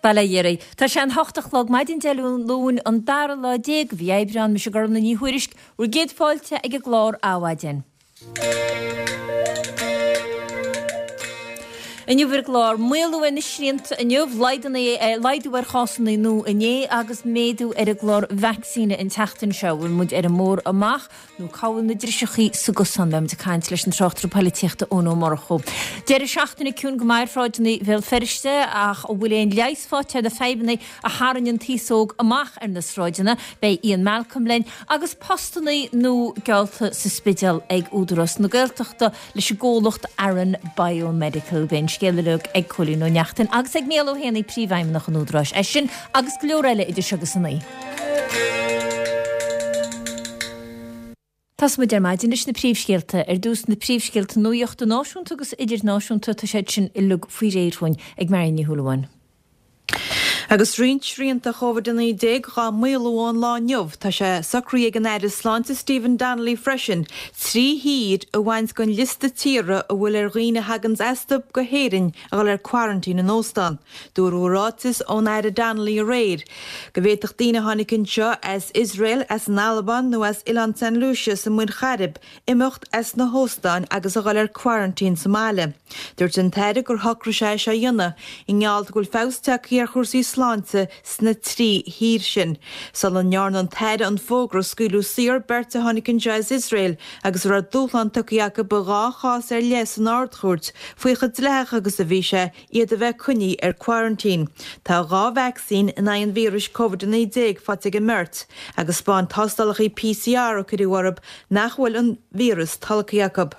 Bail ó Dhia oraibh. Tá sé an hocht a chlog maidin Dé Luain an dara lá de mhí Aibreán, mise Gormlaith Ní Thuairisg, bhur gcéad fáilte ag an gclár Adhmhaidin. Inniu ar an gclár, maolú ar na srianta inniu, laghdú ar chásanna nua inné agus méadú ar an gclár vacsaíne an tseachtain seo. Bhfuil muid ar an mbóthar amach nó cá bhfuil na driseachaí sa gcosán? Beidh muid ag caint leis an tráchtaire poilitíochta Eoin Ó Murchú. Deireadh seachtaine ciúin go maith ar shráideanna Bhéal Feirste ach an bhfuil aon leigheas faighte ar na fadhbanna a tharraing an t-aos óg amach ar na sráideanna? Beidh Ian Malcolm linn agus postanna nua geallta sa Spidéal ag Údarás na Gaeltachta leis an gcomhlacht Aran Biomedical. Beidh an scéal uilig ag Cóilín Ó Neachtain agus ag Mícheál Ó hÉanaí, Príomhfheidhmeannach an Údaráis. É sin agus go leor eile idir seo agus a naoi. Tosóidh muid ar maidin leis na príomhscéalta. Ar dtús na príomhscéalta nuachta náisiúnta agus idirnáisiúnta, tá siad sin uilig faoi réir dhúinn ag Marion Ní Shúilleabháin. Agus roinnt srianta Covid-19 dhá maolú ón lá inniu, tá sé socraithe ag an Aire Sláinte Stephen Donnelly freisin 3 thír a bhaint den liosta tíortha a bhfuil ar dhaoine a thaganns astu go hÉirinn a dhul ar quarantine in óstán. Dúradh i ráiteas ón Aire Donnelly aréir go bhféadfadh daoine a tháinig anseo as Iosrael, as an Albáin nó as Oileán San Lucia sa Muir Chairib imeacht as na hóstáin agus a dhul ar quarantine sa mbaile. Dúirt an tAire gur shocraigh sé é seo a dhéanamh i ngeall go bhfuil feabhas tagtha ar chúrsaí sláinte sna 3 thír sin. Sula ndearna an tAire an fógra, scaoileadh saor beirt a tháinig anseo as Iosrael agus a raibh dúshlán tugtha acu i dhá chás ar leith san Ard-Chúirt faoi chomh dleathach agus a bhí sé iad a bheith coinnithe ar quarantine. Tá 2 vacsaín in aghaidh an víris Covid-19 faighte ag an mbeirt agus 'spáin tástálacha PCR a cuireadh orthu nach bhfuil an víreas tolgtha acu.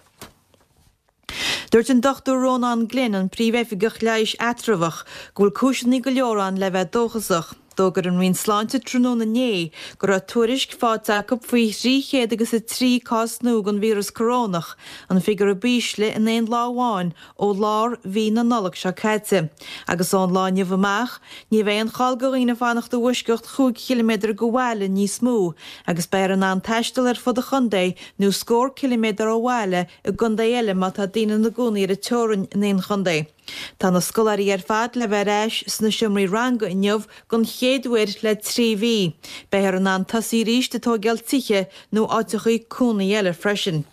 Dúirt an Dr Rónán Glynn, an Príomh-Oifigeach Leighis Eatramhach, go bhfuil cúiseanna go leor ann le bheith dóchasach. D'fhógair an Roinn Sláinte tráthnóna inné go raibh tuairisc faighte acu faoi 300 agus 3 cás nua den víreas corónach, an figiúr ab ísle in aon lá amháin ó lár mhí na Nollag seo caite. Agus ón lá inniu amach, ní bheidh aon chall do dhaoine fanacht i bhfoisceacht chúig chiliméadar de bhaile níos mó agus beifear in ann taisteal ar fud an chontae nó scór ciliméadar ó bhaile i gcontae eile má tá daoine ina gcónaí ar an teorainn in aon chontae. Tá na scoláirí ar fad le bheith ar ais sna seomraí ranga inniu don chéad uair le 3 mhí. Beifear in ann tosaí arís ag tóigeáil tithe nó áiteachaí cónaí eile freisin.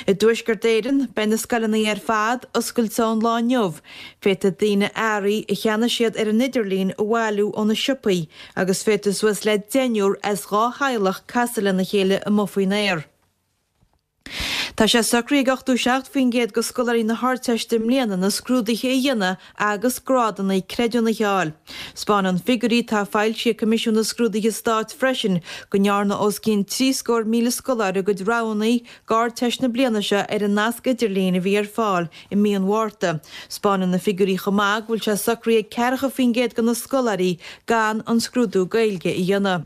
I dTuaisceart Éireann, beidh na scoileanna ar fad oscailte ón lá inniu. Féadfaidh daoine earraí a cheannaigh siad ar an idirlíon a bhailiú ó na siopaí agus féadfaidh suas le deichniúr as 2 theaghlach casadh lena chéile amuigh faoin aer. Tá sé socraithe ag 87% de scoláirí na hArdteiste i mbliana na scrúduithe a dhéanamh agus grádanna creidiúnaithe a fháil. 'Spáineann figiúirí atá foilsithe ag Coimisiún na Scrúduithe Stáit freisin go ndearna os cionn 73,000 scoláire a gcuid roghanna d'Ardteist na bliana seo ar an nasc idirlín a bhí ar fáil i mí an Mhárta. 'Spáineann na figiúirí chomh maith go bhfuil sé socraithe ag 40% de na scoláirí gan an scrúdú Gaeilge a dhéanamh.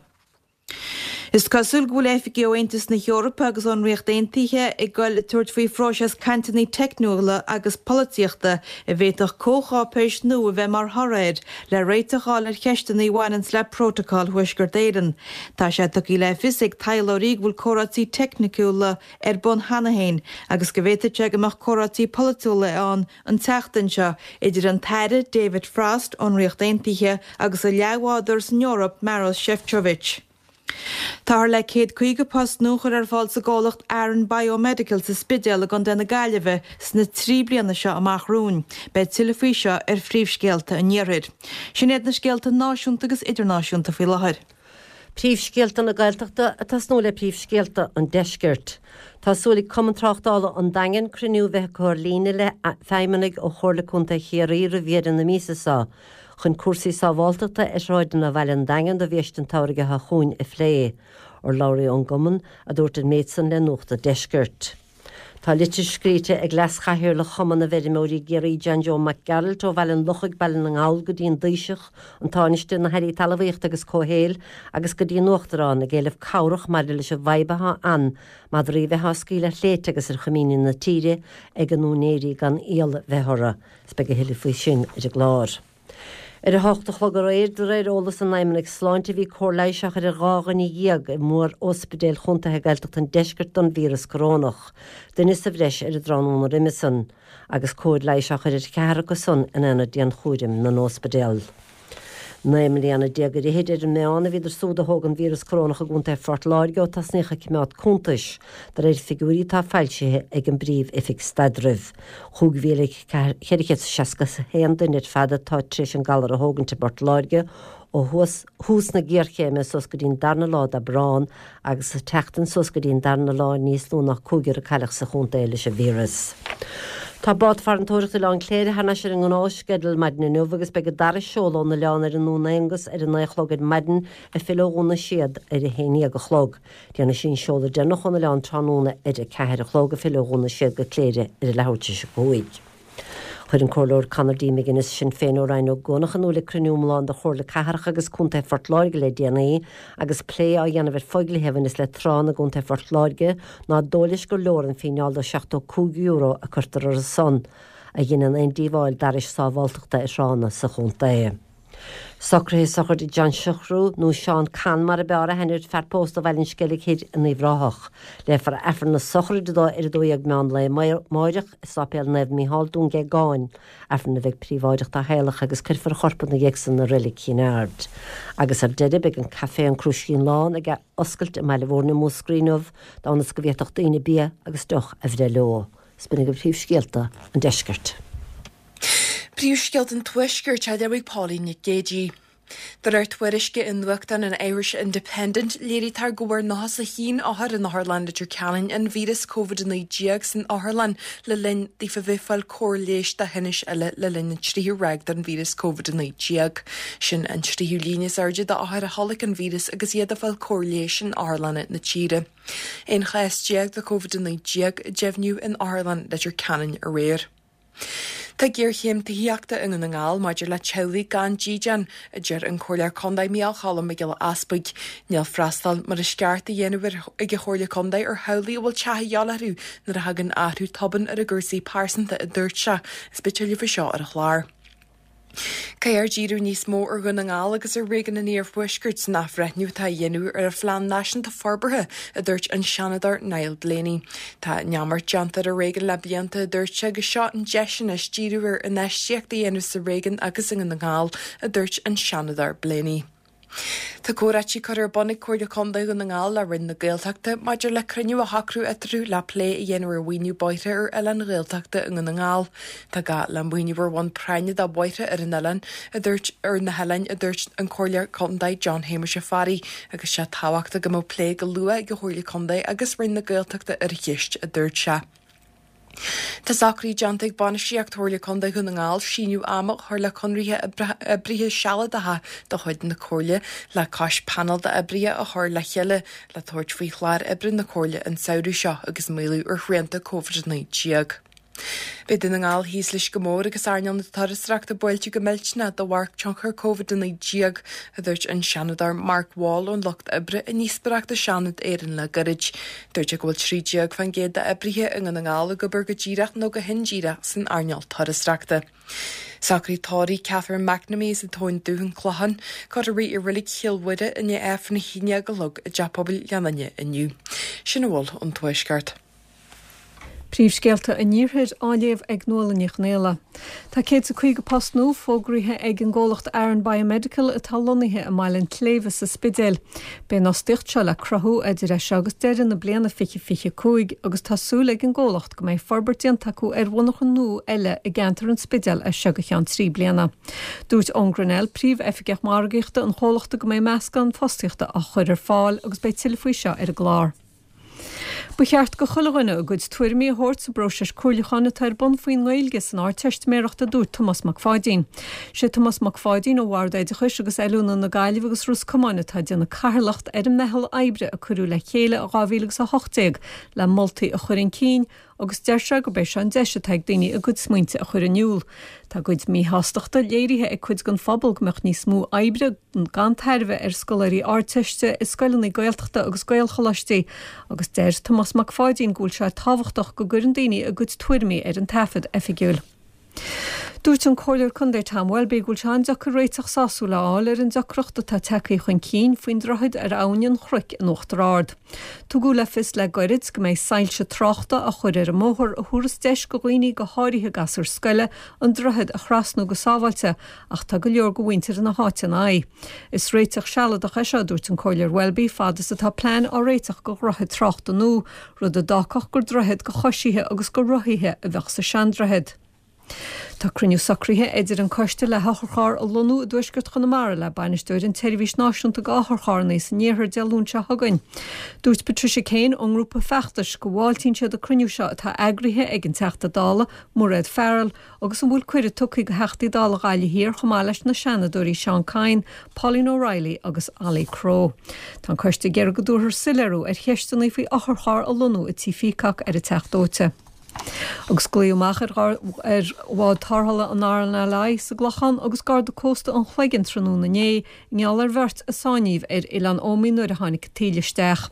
Is cosúil go bhfuil oifigigh ó Aontas na hEorpa agus ón Ríocht Aontaithe ag goil ag tabhairt faoi phróiseas cainteanna teicniúla agus polaitíochta a bhféadfadh comhcháipéis nua a bheith mar thoradh air le réiteach a fháil ar cheisteanna a bhaineanns le Prótacal Thuaisceart Éireann. Tá sé tugtha le fios ag taidhleoirí go bhfuil comhráití teicniciúla ar bun cheana féin agus go bhféadfadh sé go mbeadh comhráití polaitiúla ann an tseachtain seo idir an tAire David Frost ón Ríocht Aontaithe agus a leathbhádóir san Eoraip Maros Sefcovic. Táthar le 150 post nua a chur ar fáil sa gcomhlacht Aran Biomedical sa Spidéal i gContae na Gaillimhe sna 3 bliana seo amach romhainn. Beidh tuilleadh faoi seo ar Phríomhscéalta an Iarthair. Sin iad na scéalta náisiúnta agus idirnáisiúnta faoi láthair. Príomhscéalta na Gaeltachta ag tosnú le príomhscéalta an Deiscirt. Tá súil ag Cumann Tráchtála an Daingin cruinniú a bheith acu ar líne le feidhmeannaigh ó Chomhairle Contae Chiarraí roimh dheireadh na míosa seo chun cúrsaí sábháltachta ar shráideanna Bhaile an Daingin do bhiaiste an tsamhraidh atá chugainn a phlé. Urlabhraí ón gcumann a dúirt an méid san le Nuacht an Deiscirt. Tá litir scríte ag Leas-Chathaoirleach Chumann na bhFeirmeoirí i gCiarraí John Joe Mac Gearailt ó Bhaile an Lochaigh, Baile na nGall go dtí an Taoiseach, an Tánaiste, na hAirí Talmhaíochta agus Comhshaoil agus go dtí an Uachtarán ag éileamh cabhrach maidir leis an bhfadhb atá ann madraí a bheith á scaoileadh ar shléibhte agus ar choimíní na tíre ag a n-úinéirí gan iall bheith orthu. Is beidh a thuilleadh faoi sin ar an gclár. Ar a hocht a chlog aréir, de réir eolas an Fheidhmeannaigh Sláinte, bhí cóir leighis á chur ar 12 dhuine i mór-ospidéil chontaetha Gaeltachta an Deiscirt don víreas corónach, duine sa bhreis ar an dtráthnóna roimhe san, agus cóir leighis á chur ar cheathrar acu san in aonad dianchúraim na n-ospidéal. 19 mbliana ar fhichid ar an meán a bhíodar súd a thóg an víreas corónach i gContae Phort Láirge ó tosnaíodh ag coimeád cuntais, de réir figiúirí atá foilsithe ag an bPríomh-Oifig Staidrimh. 5,461 duine ar fad atá tar éis an galar a thógaint i bPort Láirge ó thús na géarchéime suas go dtí an darna lá d'Aibreán agus sa tseachtain suas go dtí an darna lá níos lú ná cúigear a cailleadh sa chontae leis an víreas. Tá bád farantóireachta Oileán Cléire thar n-ais ar an ngnáthsceideal maidin inniu agus beidh an dara seoladh ón oileán ar an nDún Aonghus ar a naoi a chlog ar maidin ag filleadh ó Dhún na Séad ar a haon dhéag a chlog. Déanfaidh sí an seoladh deireanach ón oileán tráthnóna ar a ceathair a chlog ag filleadh ó Dhún na Séad go Cléire ar a leathuair tar éis a cúig. Chuir an Comhairleoir Conor D. McGuinness, Sinn Féin ó Rinn Ó gCuanach in iúl ag cruinniú iomlán de Chomhairle Cathrach agus Contae Phort Láirge le déanaí agus plé á dhéanamh ar phoighluithe a bhaineas le tránna i gContae Phort Láirge ná dóigh leis gur leor an fíneáil de €75 a cuirtear orthu san a dheineann aon díobháil d'fhearais sábháltachta ar thránna sa chontae. Socruithe sochraide John Siochrú, nó Seán Con mar a b'fhearr aithne air, fear pósta ó Bhaile an Sceilg Thoir in Uíbh Ráthach. Léifear Aifreann na sochraide dó ar 12 meán lae amáireach i Sáipéal Naomh Mícheál, Dún Géagáin, Aifreann a bheidh príobháideach dá theaghlach agus cuirfear a chorp ina dhiaidh san i Reilig Chinn Aird. Agus ar deireadh beidh an caifé An Crúiscín Lán ag oscailt i mBaile Mhúirne i Múscraí inniu d'fhonn is go bhféadfadh daoine bia agus deoch a bhreith leo. 'S b'in agaibh príomhscéalta an deiscirt. Príomhscéalta an Tuaiscirt á léamh ag Pauline Nic Géadaigh. De réir tuairisce i nuachtán an Irish Independent, léirítear go bhfuair 91 othar in Otharlann Leitir Ceanainn an víreas Covid-19 san otharlann le linn daofa bheith ag fáil cóir leighis do thinnis eile le linn an tríú ráig den víreas Covid-19. Sin an tríú líon is airde d'othair a tholg an víreas agus iad ag fáil cóir leighis in otharlanna na tíre. 11 chás de Covid-19 a deimhníodh in Otharlann Leitir Ceanainn aréir. Tá géarchéim tithíochta i nDún na nGall maidir le teaghlaigh gan dídean, a deir an Comhairleoir Contae Micheál Cholm Mac Giolla Easbuig. Níl freastal mar is ceart á dhéanamh ag an Chomhairle Contae ar theaghlaigh a bhfuil teach a dhíobháil orthu nuair a thagann athrú tobann ar a gcúrsaí pearsanta, a dúirt sé. Is beidh tuilleadh faoi seo ar an chlár. Caithfear díriú níos mó ar Dhún na nGall agus ar réigiún an Iarthuaiscirt san athbhreithniú atá á dhéanamh ar an Phlean Náisiúnta Forbartha, a dúirt an Seanadóir Niall Blaney. Tá neamart déanta ar an réigiún le blianta, a dúirt sé, agus seo an deis anois díriú ar infheistíocht a dhéanamh sa réigiún agus i nDún na nGall, a dúirt an Seanadóir Blaney. Tá comhráití curtha ar bun ag Comhairle Contae Dhún na nGall le Roinn na Gaeltachta maidir le cruinniú a shocrú eatarthu le plé a dhéanamh ar mhaoiniú bóithre ar oileáin Ghaeltachta i nDún na nGall. Tá gá le maoiniú ar bhonn práinne do bhóithre ar an oileán, a dúirt ar na hoileáin, a dúirt an Comhairleoir Contae John Shéamuis Ó Fearraigh, agus sé tábhachtach go mbeadh plé go luath ag an Chomhairle Contae agus Roinn na Gaeltachta ar an cheist, a dúirt sé. Tá socruithe déanta ag bainistíocht Chomhairle Contae Dhún na nGall síneadh ama a chur le conraithe oibrithe sealadacha de chuid na Comhairle le cois painéal d'oibrithe a chur le chéile le tabhairt faoi chlár oibre na Comhairle an samhradh seo agus maolú ar shrianta Covid-19. Beidh Dún na nGall thíos leis go mór agus earnáil na turasóireachta buailte go millteanach de bharr tionchar Covid-19, a dúirt an Seanadóir Mark Wall ón Lucht Oibre i ndíospóireacht i Seanad Éireann le gairid. Dúirt sé go bhfuil 13% d'oibrithe i nDún na nGall ag obair go díreach nó go hindíreach san earnáil turasóireachta. Socraid tórraimh Catherine McNamee as an Tóin Dubh, An Clochán, curtha í i Reilig Chill Mhuire i ndiaidh Aifreann a haon déag a chlog i dTeach Pobail Ghleann Fhinne inniu. Sin a bhfuil ón Tuaisceart. Príomhscéalta an Iarthair á léamh ag Nuala Ní Chonghaile. Tá 150 post nua fógraithe ag an gcomhlacht Aran Biomedical atá lonnaithe i mBaile an tSléibhe sa Spidéal. Beidh an fhostaíocht seo le cruthú idir é seo agus deireadh na bliana 2025 agus tá súil ag an gcomhlacht go mbeidh forbairt déanta acu ar mhonarcha nua eile i gceantar an Spidéil as seo go ceann 3 bliana. Dúirt Eoin Grennell, Príomh-Oifigeach Margaíochta an chomhlachta go mbeidh meascán fostaíochta á chur ar fáil agus beidh tuilleadh faoi seo ar an gclár. Ba cheart go chuile dhuine a gcuid tuairimí a thabhairt sa bpróiseas comhairliúcháin atá ar bun faoin nGaeilge san Ardteistiméireacht a dúirt Tomás Mac Pháidín. Sé Tomás Mac Pháidín ó Bhord Oideachais agus Oiliúna na Gaillimhe agus Ros Comáin atá ag déanamh cathaoirleacht ar an meitheal oibre a cuireadh le chéile i 2018 le moltaí a chur chun cinn agus deir sé gurb é seo an deis atá ag daoine a gcuid smaointe a chur in iúl. Tá a gcuid míshástachta léirithe ag cuid den phobal go mbeadh níos mó oibre gan tairbhe ar scoláirí Ardteiste i scoileanna Gaeltachta agus Gaelcholáistí agus deir Tomás Mac Pháidín go bhfuil sé tábhachtach go gcuireann daoine a gcuid tuairimí ar an taifead oifigiúil. Dúirt an Comhairleoir Contae Tom Welby go bhfuil sé an-deacair réiteach sásúil a fháil ar an deacracht atá tagtha chun cinn faoin droichead ar Abhainn an Chnoic in Uachtar Ard. Tugadh le fios le goirid go mbeidh soilse tráchta á chur ar an mbóthar a thabharfas deis go dhaoine, go háirithe gasúir scoile, an droichead a thrasnú go sábháilte ach tá go leor go mhuintir na háite ina aghaidh. Is réiteach sealadach é seo, a dúirt an Comhairleoir Welby, fad is atá plean á réiteach go dhroichead tráchta nua, rud a d'fhágfadh gur droichead go choisithe agus go rothaithe a bheadh sa seandroichead. Tá cruinniú socraithe idir an coiste le hotharcharr a lonnú i dtuaisceart Chonamara le bainisteoir an tseirbhís náisiúnta go otharcharranna san iarthar Dé Luain seo chugainn. Dúirt Patricia Kane ón ngrúpa feachtais go bhfáiltíonn siad an cruinniú seo atá eagraithe ag an Teachta Dála Mairéad Farrell agus an bhfuil cuireadh tugtha go Theachtaí Dála Ghaillimh Thiar chomh maith leis na Seanadóirí Seán Kyne, Pauline O'Reilly agus Ollie Crowe. Tá an coiste ag iarraidh go dtabharfar soiléiriú ar cheisteanna faoi otharcharr a lonnú i Tí Pheacock ar an Teach Dóite. Agus glaodh amach ar ar bhád tarrthála an RNLI sa gClochán agus Garda Cósta an Chloigeann tráthnóna inné i ngeall ar bheirt a sáinníodh ar Oileán Ómaigh nuair a tháinig an taoille isteach.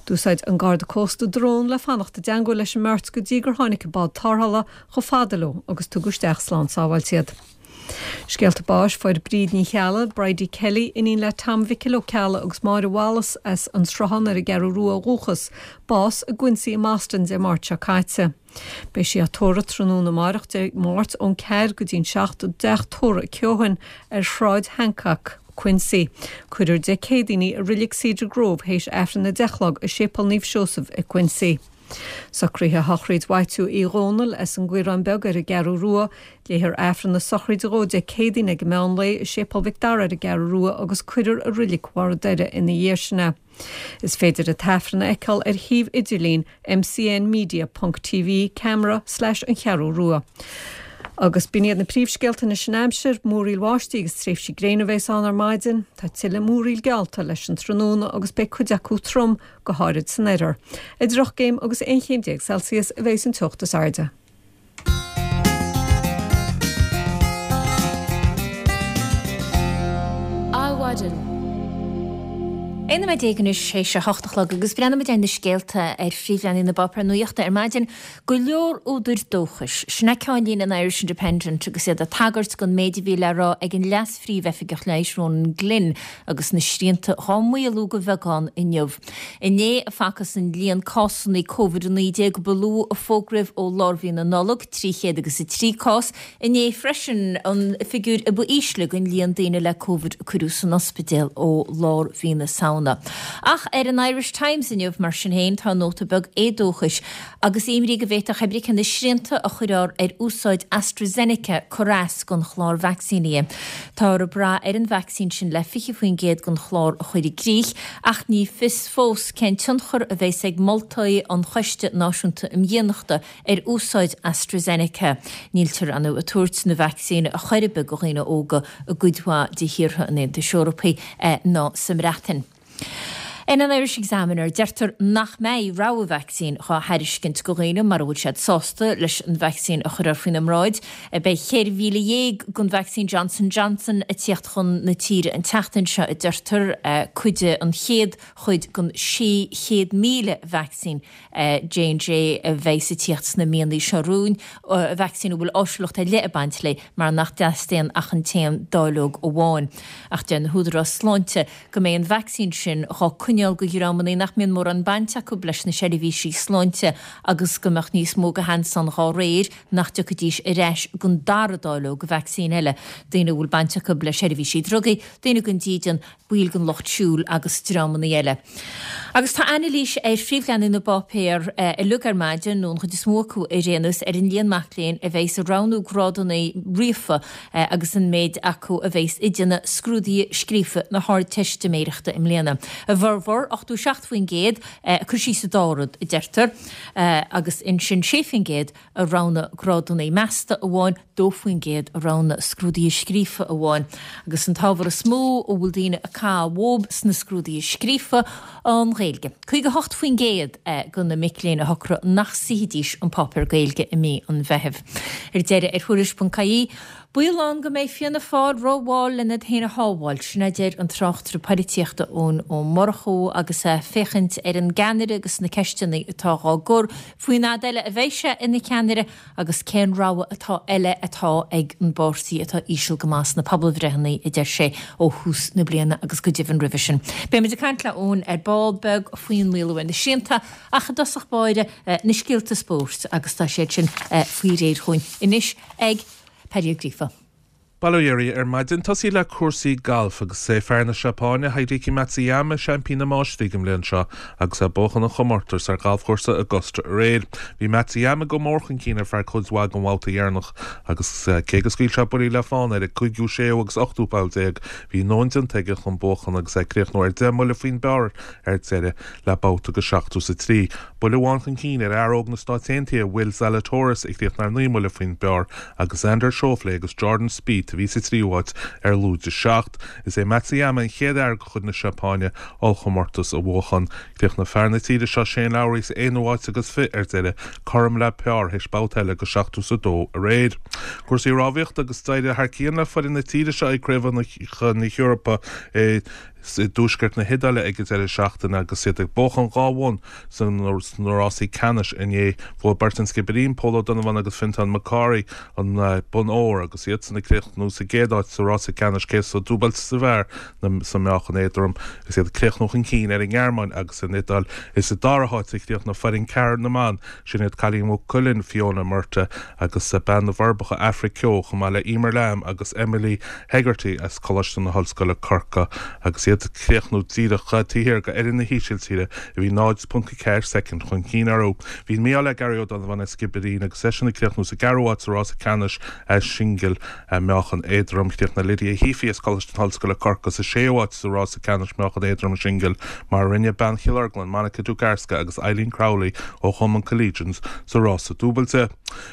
D'úsáid an Garda Cósta drón le fanacht i dteangmháil leis an mbeirt go dtí gur tháinig an bád tarrthála chomh fada leo agus tugadh isteach slán sábháilte iad. Scéalta báis, Fuair Bríd Ní Cheallaigh, Bridie Kelly, iníon le Tom Mhicil Ó Ceallaigh agus Máire Wallace as An Sruthán ar an gCeathrú Rua ó dhúchas, bás i gQuincy i mBoston Dé Máirt seo caite. Beidh sí á tórramh tráthnóna amáireach Dé Máirt ón 4 go dtí'n 7 i dteach tórraimh Keohane ar Shráid Hancock, Quincy. Cuirfear Dé Céadaoin í i Reilig Cedar Grove théis Aifreann 10 a chlog i Séipéal Naomh Seosamh i Quincy. Socruithe shochraid Mhaitiú Uí Dhónaill as an gCaorán Beag ar an gCeathrú Rua. Léifear Aifreann na sochraide dhó Dé Céadaoin ag an meán lae i Séipéal Mhic Dara ar an gCeathrú Rua agus cuirfear i Reilig Bharr an Doire ina dhiaidh sin é. Is féidir an tAifreann a fheiceáil ar shuíomh idirlín mcnmedia ponc tv camera slash an Cheathrú Rua. Agus b'in iad na príomhscéalta anois an aimsir, múraíl bháistí agus tréimhsí gréine a bheas ann ar maidin. Tá tuilleadh múraíl geallta leis an tráthnóna agus beidh cuid acu trom, go háirid san oirthear. Idir 8 gcéim agus 11 chéim Celsius a bheas an teocht is airde. Adhmhaidin. 11 nóiméad anois théis a hocht a chlog agus breathnaímid ar na scéalta ar phríomhleathanaigh na bpáipéar nuachta ar maidin. Go leor údair dóchais. Sin é ceannlíne an Irish Independent agus iad ag tagairt don méid a bhí le rá ag an Leas-Phríomh-Oifigeach Leighis Ronan Glynn agus na srianta dhá maolú de bheagán inniu. Inné a facthas an líon cásanna Covid-19 ba lú a fógraíodh ó lár mhí na Nollag, 303 cás. Inné freisin an figiúr a ba ísle den líon daoine le Covid a cuireadh san ospidéal ó lár mhí na Samhna. Ach ar an Irish Times inniu, mar sin féin, tá nóta beag éadóchais agus imní go bhféadfadh cibé cé na srianta a chuirfear ar úsáid AstraZeneca cur as don chlár vacsaínithe. Táthar ag brath ar an vacsaín sin le 20% den chlár a chur i gcrích ach ní fios fós cén tionchar a bheas ag moltaí an Choiste Náisiúnta um Dhianachta ar úsáid AstraZeneca. Níltear ar ndóigh ag tabhairt na vacsaíne ar chor ar bith do dhaoine óga i gcuid mhaith de thíortha an Aontais Eorpaigh ná sa mBreatain. In an Irish Examiner, deirtear nach mbeidh rogha vacsaín dhá thairiscint do dhaoine mura bhfuil siad sásta leis an vacsaín a chuirfear faoina mbráid. Beidh 14,000 den vacsaín Johnson Johnson ag tíocht chun na tíre an tseachtain seo, a deirtear, cuid de an chéad chuid den 600,000 vacsaín J&J a bheidh ag tíocht sna míonna seo romhainn, vacsaín a bhfuil áisiúlacht ar leith ag baint léi mar nach dteastaíonn ach an t-aon dáileog amháin. Ach deir na húdaráis sláinte go mbeidh an vacsaín sin dhá coinneáil do dhreamanna nach mbíonn mórán baint acu leis na seirbhísí sláinte agus go mbeadh níos mó de sheans ann dhá réir nach dtiocfaidís ar ais don dara dáileog vacsaín eile, daoine a bhfuil baint acu le seirbhísí drugaí, daoine gan dídean, baill den lucht siúil agus dreamanna eile. Agus tá anailís ar phríomhleathanaigh na bpáipéar uilig ar maidin, nó an chuid is mó acu ar aon nós, ar an líon mac léinn a bheidh ag roghnú grádanna ríofa agus an méid acu a bheas ag déanamh scrúduithe scríofa na hArdteistiméireachta i mbliana. A bhformhór, 87%, ag cur síos an dá rud, a deirtear, agus ansin 6% a roghnaigh grádanna measta amháin, 2% a roghnaigh scrúduithe scríofa amháin. Agus an t-ábhar is mó a bhfuil daoine ag caitheamh uathu sna scrúduithe scríofa, an Ghaeilge. 58% de na mic léinn a shocraigh nach suífidís an páipéar Gaeilge i mí an Mheithimh. Ar deireadh, ar Thuairisc.ie. Baol ann go mbeidh Fianna Fáil rómhall lena iad féin a shábháil, sin a deir an tráchtaire poilitíochta Eoin Ó Murchú agus é ag féachaint ar an gceannaire agus na ceisteanna atá dhá gcur faoin fhad eile a bheidh sé ina cheannaire agus cén rogha atá eile atá ag an bpáirtí atá íseal go maith sna pobalbhreitheanna, a deir sé, ó thús na bliana agus go deimhin roimhe sin. Beidh muid ag caint le Eoin ar ball beag faoin maolú ar na srianta ach i dtosach báire na scéalta spóirt agus tá siad sin faoi réir chugainn anois ag Paddy Ó Gríofa. Bail ó Dhia oraibh ar maidin. Tosaí le cúrsaí gailf agus is é fear na Seapáine, Hideki Matsuyama, seaimpín na Máistrí don bhliain seo agus é ag buachan an chomórtais ar ghalfchúrsa Augusta aréir. Bhí Matsuyama go mór chun cinn ar feadh cuid mhaith den bhabhta dheireanach agus cé go scaoil sé buillí le fána ar an gcúigiú, séú agus ochtú poll, bhí a ndóthain déanta aige chun buachan agus é ag críochnú ar 10 mbuille faoin bpar ar deireadh le babhta de 73. Buille amháin chun cinn ar fhear óg na Stáit Aontaithe, Will Zalatoris, a chríochnaigh ar 9 mbuille faoin bpar, agus Xander Schauffele agus Jordan Spieth a bhí sa tríú háit ar lúide 7. Is é Matsuyama an chéad fhear de chuid na Seapáine ollchomórtas a bhuachan. Chríochnaigh fear na tíre seo Shane Lowry sa aonú háit agus fi ar deireadh, cothrom le par théis babhta eile de 72 aréir. Cúrsaí rámhaíochta agus d'éirigh thar cionn le foireann na tíre seo ag Craobhacha na hEorpa i i dtuaisceart na hIodáile ag an deireadh seachtaine agus iad ag buachan 2 bhonn sna rásaí ceannais inné. Bhuaigh beirt an Sciobairín, Pól Ó Donnabháin agus Fintán Mac Cárthaigh an bonn óir agus iadsan ag críochnú sa gcéad áit sa rása ceannais céad sa dúbailte sa bhfear sa meáchan éadrom agus iad ag críochnú chun cinn ar an nGearmáin agus an Iodáil. Is sa dara háit a chríochnaigh foireann ceathair na mban, sin iad cailín Mhaigh Cuilinn, Fiona Murtagh agus bean na bhForbacha, Aifric Keogh, chomh maith le Emer Lambe agus Emily Hegarty as Coláiste na hOllscoile, Corcaigh, agus iad ag críochnú díreach taobh thiar de fhoireann na hÍsiltíre a bhí 0.4 soicind chun cinn orthu. Bhí an mí-ádh le Gary Ó Donnabháin as Sciobairín agus eisean ag críochnú sa gceathrú háit sa rása ceannais singil meáchan éadrom. Chríochnaigh Lydia Heaphy as Coláiste na hOllscoile, Corcaigh sa séú háit sa rása ceannais meáchan éadrom singil mar a rinne bean Chill Orglan, Monica Dugarska agus Eileen Crowley ó Chumann Collegians sa rása dúbailte.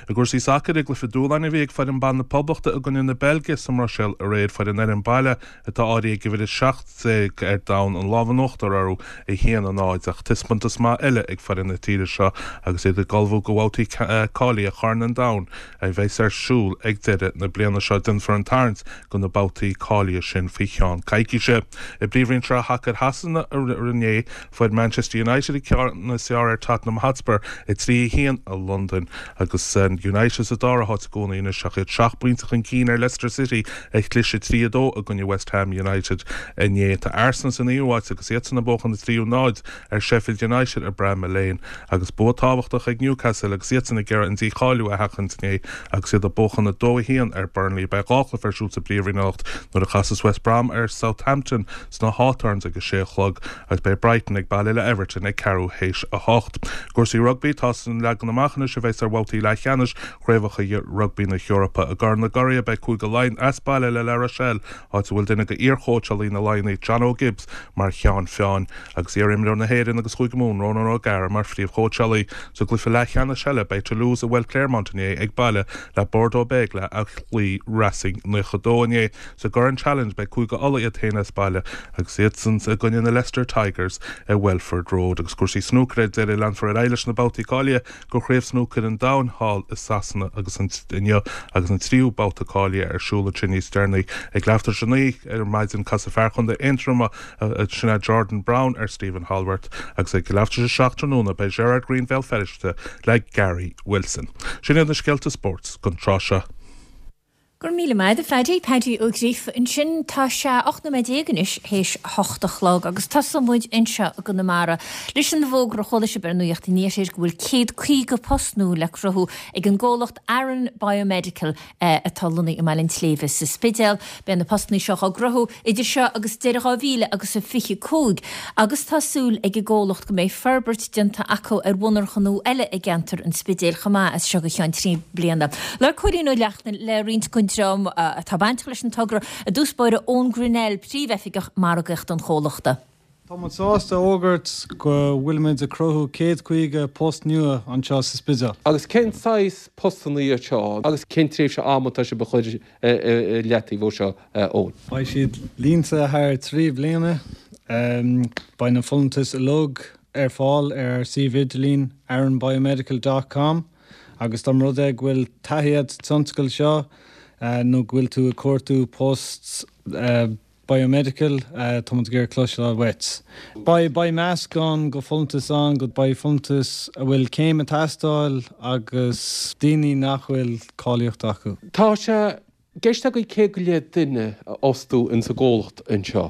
I gcúrsaí sacair, i gcluiche dúshláin a bhí ag foireann ban na Poblachta i gcoinne na Beilge sa mBruiséil aréir, fuair an fhoireann baile atá áirithe ag uimhir 17 ar domhan an lámh in uachtar orthu, 1-0, ach taispeántas maith eile ag foireann na tíre seo agus iad ag ullmhú do bhabhtaí cáilithe Chorn an Domhain a bheas ar siúl ag deireadh na bliana seo. Déanfar an tarraingt do na babhtaí cáilithe sin faoi cheann coicíse. I bPríomhroinn Sraith Shacair Shasana inné, Fuair Manchester United an ceann is fearr ar Tottenham Hotspur, 3-1 i Londain, agus United sa dara háit i gcónaí anois ach iad seacht bpointe chun cinn ar Leicester City a chlis 3-2 i gcoinne West Ham United inné. Tá Arsenal sa naoú háit agus iadsan ag buachan 3-0 ar Sheffield United i Bramall Lane agus bua tábhachtach ag Newcastle agus iadsan ag iarraidh an dícháiliú a sheachaint inné agus iad ag buachan 2-1 ar Burnley. Beidh dhá chluiche ar siúl sa bPríomhroinn anocht nuair a chasas West Brom ar Southampton sna Hawthorns ag a sé a chlog agus beidh Brighton ag baile le Everton ag ceathrú théis a hocht. Cúrsaí rugbaí, Tá an leagan amach anois a bheas ar bhabhtaí leathcheannais Chraobhacha Rugbaí na hEorpa. I gCorn na gCuradh beidh Cúige Laighean as baile le La Rochelle, áit a bhfuil duine de iar-chóitseálaí na Laighnigh, John O'Gibbs, mar cheann feadhain, agus iar-imreoir na hÉireann agus Chúige Mumhan, Ronan O'Gara, mar phríomhchóitseálaí. Sa gcluiche leathcheannais eile beidh Toulouse i bhFeil Clermont inné ag baile le Bordeaux Bègles a chloígh Racing 92 inné. Sa gCorn Challenge beidh Cúige Uladh iad féin as baile agus iadsan i gcoinne na Leicester Tigers i Welford Road. Agus cúrsaí snúcair ar deireadh, leanfar ar aghaidh leis na babhtaí cáilithe do Chraobh Snúcair an Domhain thall i Sasana agus an inniu agus an tríú babhta cáilithe ar siúl ansin níos deireanaí. Ag leathuair tar éis a naoi ar maidin casfaidh fear Chontae Aontroma, sin é Jordan Brown ar Stephen Hallworth agus ag leathuair tar éis a 7 tráthnóna beidh Gerard Greene Bhéal Feirste le Gary Wilson. Sin iad na scéalta spóirt don tráth seo. Go raibh míle maith agat, a Phaddy. Paddy Ó Gríofa ansin. Tá sé 18 nóiméad anois théis a hocht a chlog agus tosóidh muid anseo i gConamara leis an bhfógra a chuala sibh ar Nuacht an Iarthair go bhfuil 150 post nua le cruthú ag an gcomhlacht Aran Biomedical atá lonnaithe i mBaile an tSléibhe sa Spidéal. Beidh na postanna seo á gcruthú idir seo agus deireadh 2000 agus a 25 agus tá súil ag an gcomhlacht go mbeidh forbairt déanta acu ar mhonarcha nua eile i gceantar an Spidéil chomh maith as seo go ceann 3 bliana. Labhair Cóilín Ó Neachtain le roinnt den dream atá bainteach leis an togra, i dtús báire Eoin Grennell, Príomhoifigeach Margaíochta an chomhlachta. Tá muid sásta a fhógairt go bhfuilimid ag cruthú 150 post nua anseo sa Spidéal. Agus cén saghas postanna iad seo agus cén tréimhse ama atá sibh a chur i leataobh ó seo, Eoin? Beidh siad líonta thar 3 bliana. Beidh na folúntais uilig ar fáil ar ár suíomh idirlín aranbiomedical dot com agus dá mba rud é go bhfuil taithí agat sa tionscal seo. nó go bhfuil tú ag cuartú post biomedical, tá muid ag iarraidh cloisteáil uait. Beidh beidh meascán de folúntais ann, go beidh folúntais a bhfuil céim ag teastáil agus daoine nach bhfuil cáilíocht acu. Tá sé i gceist agaibh 100 go leith duine a fhostú ins an gcomhlacht anseo.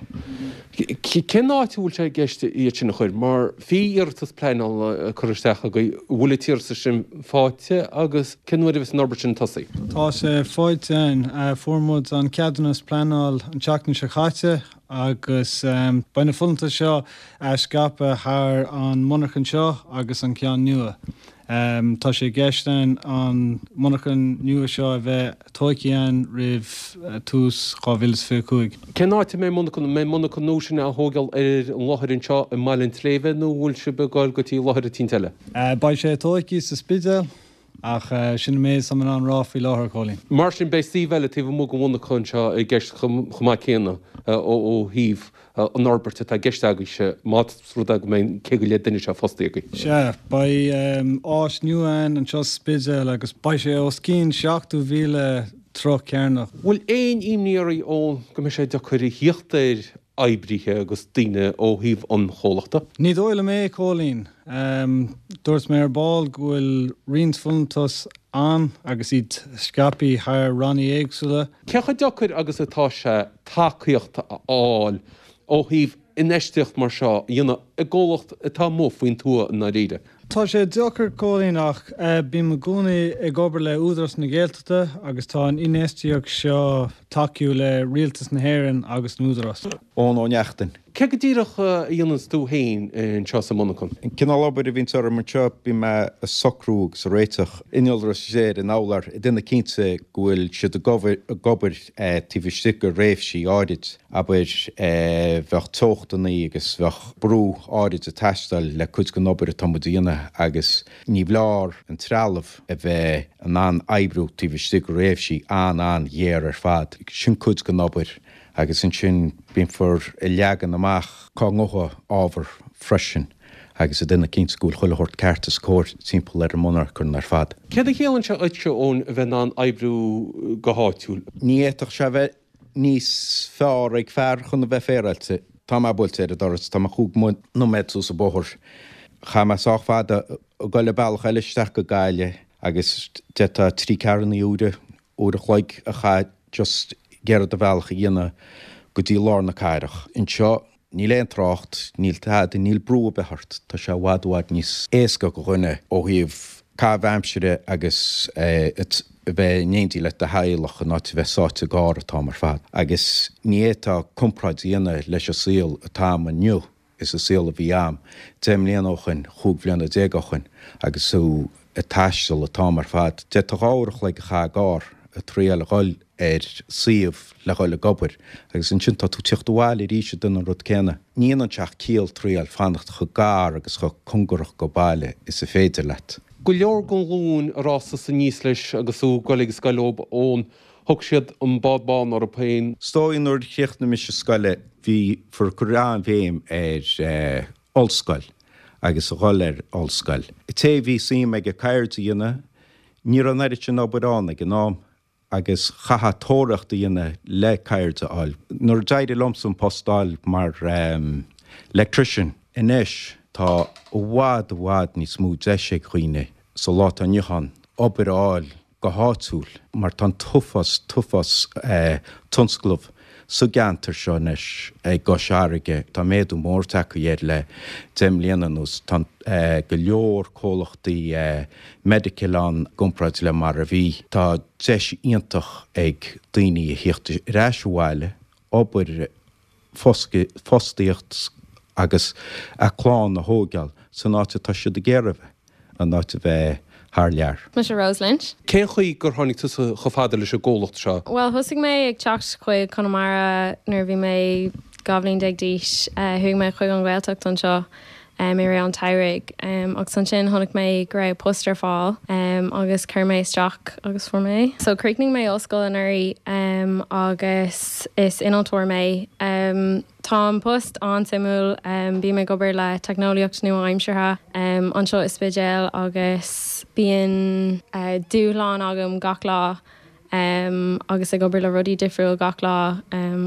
Cén áit a bhfuil sé i gceist iad sin a chur? Mar bhí iarratas pleanála curtha isteach agaibh, an bhfuil an t-iarratas sin faighte agus cén uair a bheas an obair sin ag tosaí? Tá sé faighte againn. Fuair muid an ceadúnas pleanáil an tseachtain seo caite agus beidh na folúntais seo scaipthe thar an monarchan seo agus an ceann nua. Tá sé i gceist againn an monarchan nua seo a bheith tóigthe againn roimh tús 2025. Cén áit a mbeidh monarchan? An mbeidh monarchan nua sin á thógáil ar an láthair anseo i mBaile an tSléibhe nó an bhfuil sibh ag goil go dtí láthair eicínt eile? Beidh sé tóigthe sa Spidéal ach sin an méid is tá mé in ann rá faoi láthair, a Chóilín. Mar sin beidh suíomh eile taobh amuigh den mhonarcha anseo i gceist chomh maith céanna ó thaobh an fhorbairt atá i gceist agaibhse, más rud é go mbeidh an 100 go leith duine seo fostaithe agaibh. Sea, beidh áis nua ann anseo sa Spidéal agus beidh sé os cionn 70,000 troigh cearnach. Bhfuil aon imní oraibh ann go mbeidh sé deacair a thíocht ar oibrithe agus daoine ó thaobh an chomhlachta? Ní dóigh liom é, Cóilín. Dúirt mé ar ball go bhfuil roinnt folúntas ann agus iad scaipthe thar rannaí éagsúla. Cé chomh deacair agus atá sé tacaíocht a fháil ó thaobh infheistíocht mar seo a dhéanamh i gcomhlacht atá amuigh faoin tuath i ndáiríre. Tá sé deacair, Cóilín, ach bím i gcónaí ag obair le Údarás na Gaeltachta agus tá an infheistíocht seo tacú le Rialtas na hÉireann agus an Údarás. Eoin Ó Neachtain. Cé go díreach a dhéananns tú féin anseo sa monarchan? An cineál obair a bhíonns orm anseo, bíonn mé ag socrú agus ag réiteach innealra is ar an urlár, ag déanamh cinnte go bhfuil siad ag obair taobh istigh de thréimhsí áirid. Abair, bheadh teochtannaí agus bheadh brú áirid ag teastáil le cuid den obair atá muid a dhéanamh agus ní foláir an trealamh a bheith in ann oibriú taobh istigh de thréimhsí an-an-ghéar ar fad. Sin cuid den obair. Agus ansin bímfear ag leagan amach cá ngabhfaidh ábhar freisin agus ag déanamh cinnte go bhfuil chuile shórt ceart is cóir timpeall ar an monarchan ar fad. Céard a chiallaíonn sé dhuitse, Eoin, a bheith in ann oibriú go háitiúil? Ní fhéadfadh sé a bheith níos fearr ag fear chun a bheith féaráilte. Tá mé buailte ar an doras, tá mé chúig nóiméad suas an bóthar. Chaith mé sách fada ag dul an bealach eile isteach go Gaillimh agus d'fhéadfá trí ceathrúna uaire uair a chloig a chaith just ag iarraidh do bhealach a dhéanamh go dtí lár na cathrach. Anseo, níl aon trácht, níl tada, níl brú ar bith ort, tá sé i bhfad, i bhfad níos éasca do dhuine ó thaobh caitheamh aimsire agus a bheith in éindí le do theaghlach in áit a bheith sáite i gcarr an t-am ar fad. Agus ní fhéadfá comparáid a dhéanamh leis an saol atá a'm inniu is an saol a bhí a'm 10 mbliana ó shoin, 15 bhliana ó shoin, agus tú ag taisteal an t-am ar fad. D'fhéadfá 2 uair a chloig a chaitheamh i gcarr ag triail a dhul ar suíomh le dhul ag obair agus ansin tá tú ag tíocht abhaile arís ag déanamh an rud céanna. Ní dhéanann sé ach ciall triail fanacht chomh gar agus chomh cóngarach go baile is a féidir leat. Go leor den ghlúin ar fhás tusa aníos leis agus tú ag goil ag an scoil Eoin, Thug siad an bád bán orthu féin. Is dóigh nuair a chríochnaigh mise scoil bhí fir ag cur an-bhéim ar ollscoil agus a dhul ar ollscoil. Té a bhí suim aige ceird a dhéanamh, ní raibh an oiread sin obair ann ag an am agus chaithfeá tóraíocht a dhéanamh le ceird a fháil. Nuair a d'éirigh liomsa an post a fháil mar electrician, anois tá i bhfad i bhfad níos mó deis ag dhaoine sa lá atá inniu ann obair a fháil go háitiúil mar tá an t-uafás, t-uafás tionscnamh sa gceantar seo anois i gCois Fharraige. Tá méadú mór tagtha air le 10 mbliana anuas. Tá go leor comhlachtaí medical ann i gcomparáid le mar a bhí. Tá deis iontach ag daoine a thíocht ar ais abhaile, obair fostaíocht agus a clann a thóigeáil san áit atá siad ag iarraidh a bheith, in áit a bheith thar lear. Mise Rose Lynch. Cén chaoi gur tháinig tusa chomh fada leis an gcomhlacht seo? Bhuel, thosaigh mé ag teacht chuig Conamara nuair a bhí mé 12 bhliain d'aois. Chuaigh mé chuig an Ghaeltacht anseo i rith an tsamhraidh agus ansin chonaic mé go raibh post ar fáil agus chuir mé isteach agus fuair mé é. So chríochnaigh mé ollscoil anuraidh agus is innealtóir mé. Tá an post an-suimiúil, bím ag obair le teicneolaíocht nua-aimseartha anseo i Spidéal agus bíonn dúshlán agam gach lá. Agus ag obair le rudaí difriúil gach lá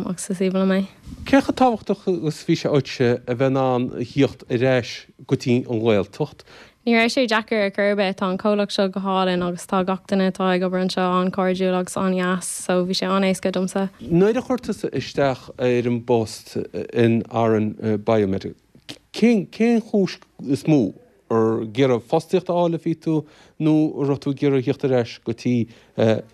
agus is aoibhinn liom é. Cé chomh tábhachtach agus bhí sé dhuitse a bheith in ann a thíocht ar ais go dtí an Ghaeltacht? Ní raibh sé deacair ar chor ar bith, tá an comhlacht seo go hálainn agus tá gach duine atá ag obair anseo an-chairdiúil agus an-dheas so bhí sé an-éasca domsa. Nuair a chuir tusa isteach ar an bpost in Aran Biomedical, cén chúis is mó Ar ag iarraidh fostaíocht a fháil a bhí tú nó an raibh tú ag iarraidh a thíocht ar ais go dtí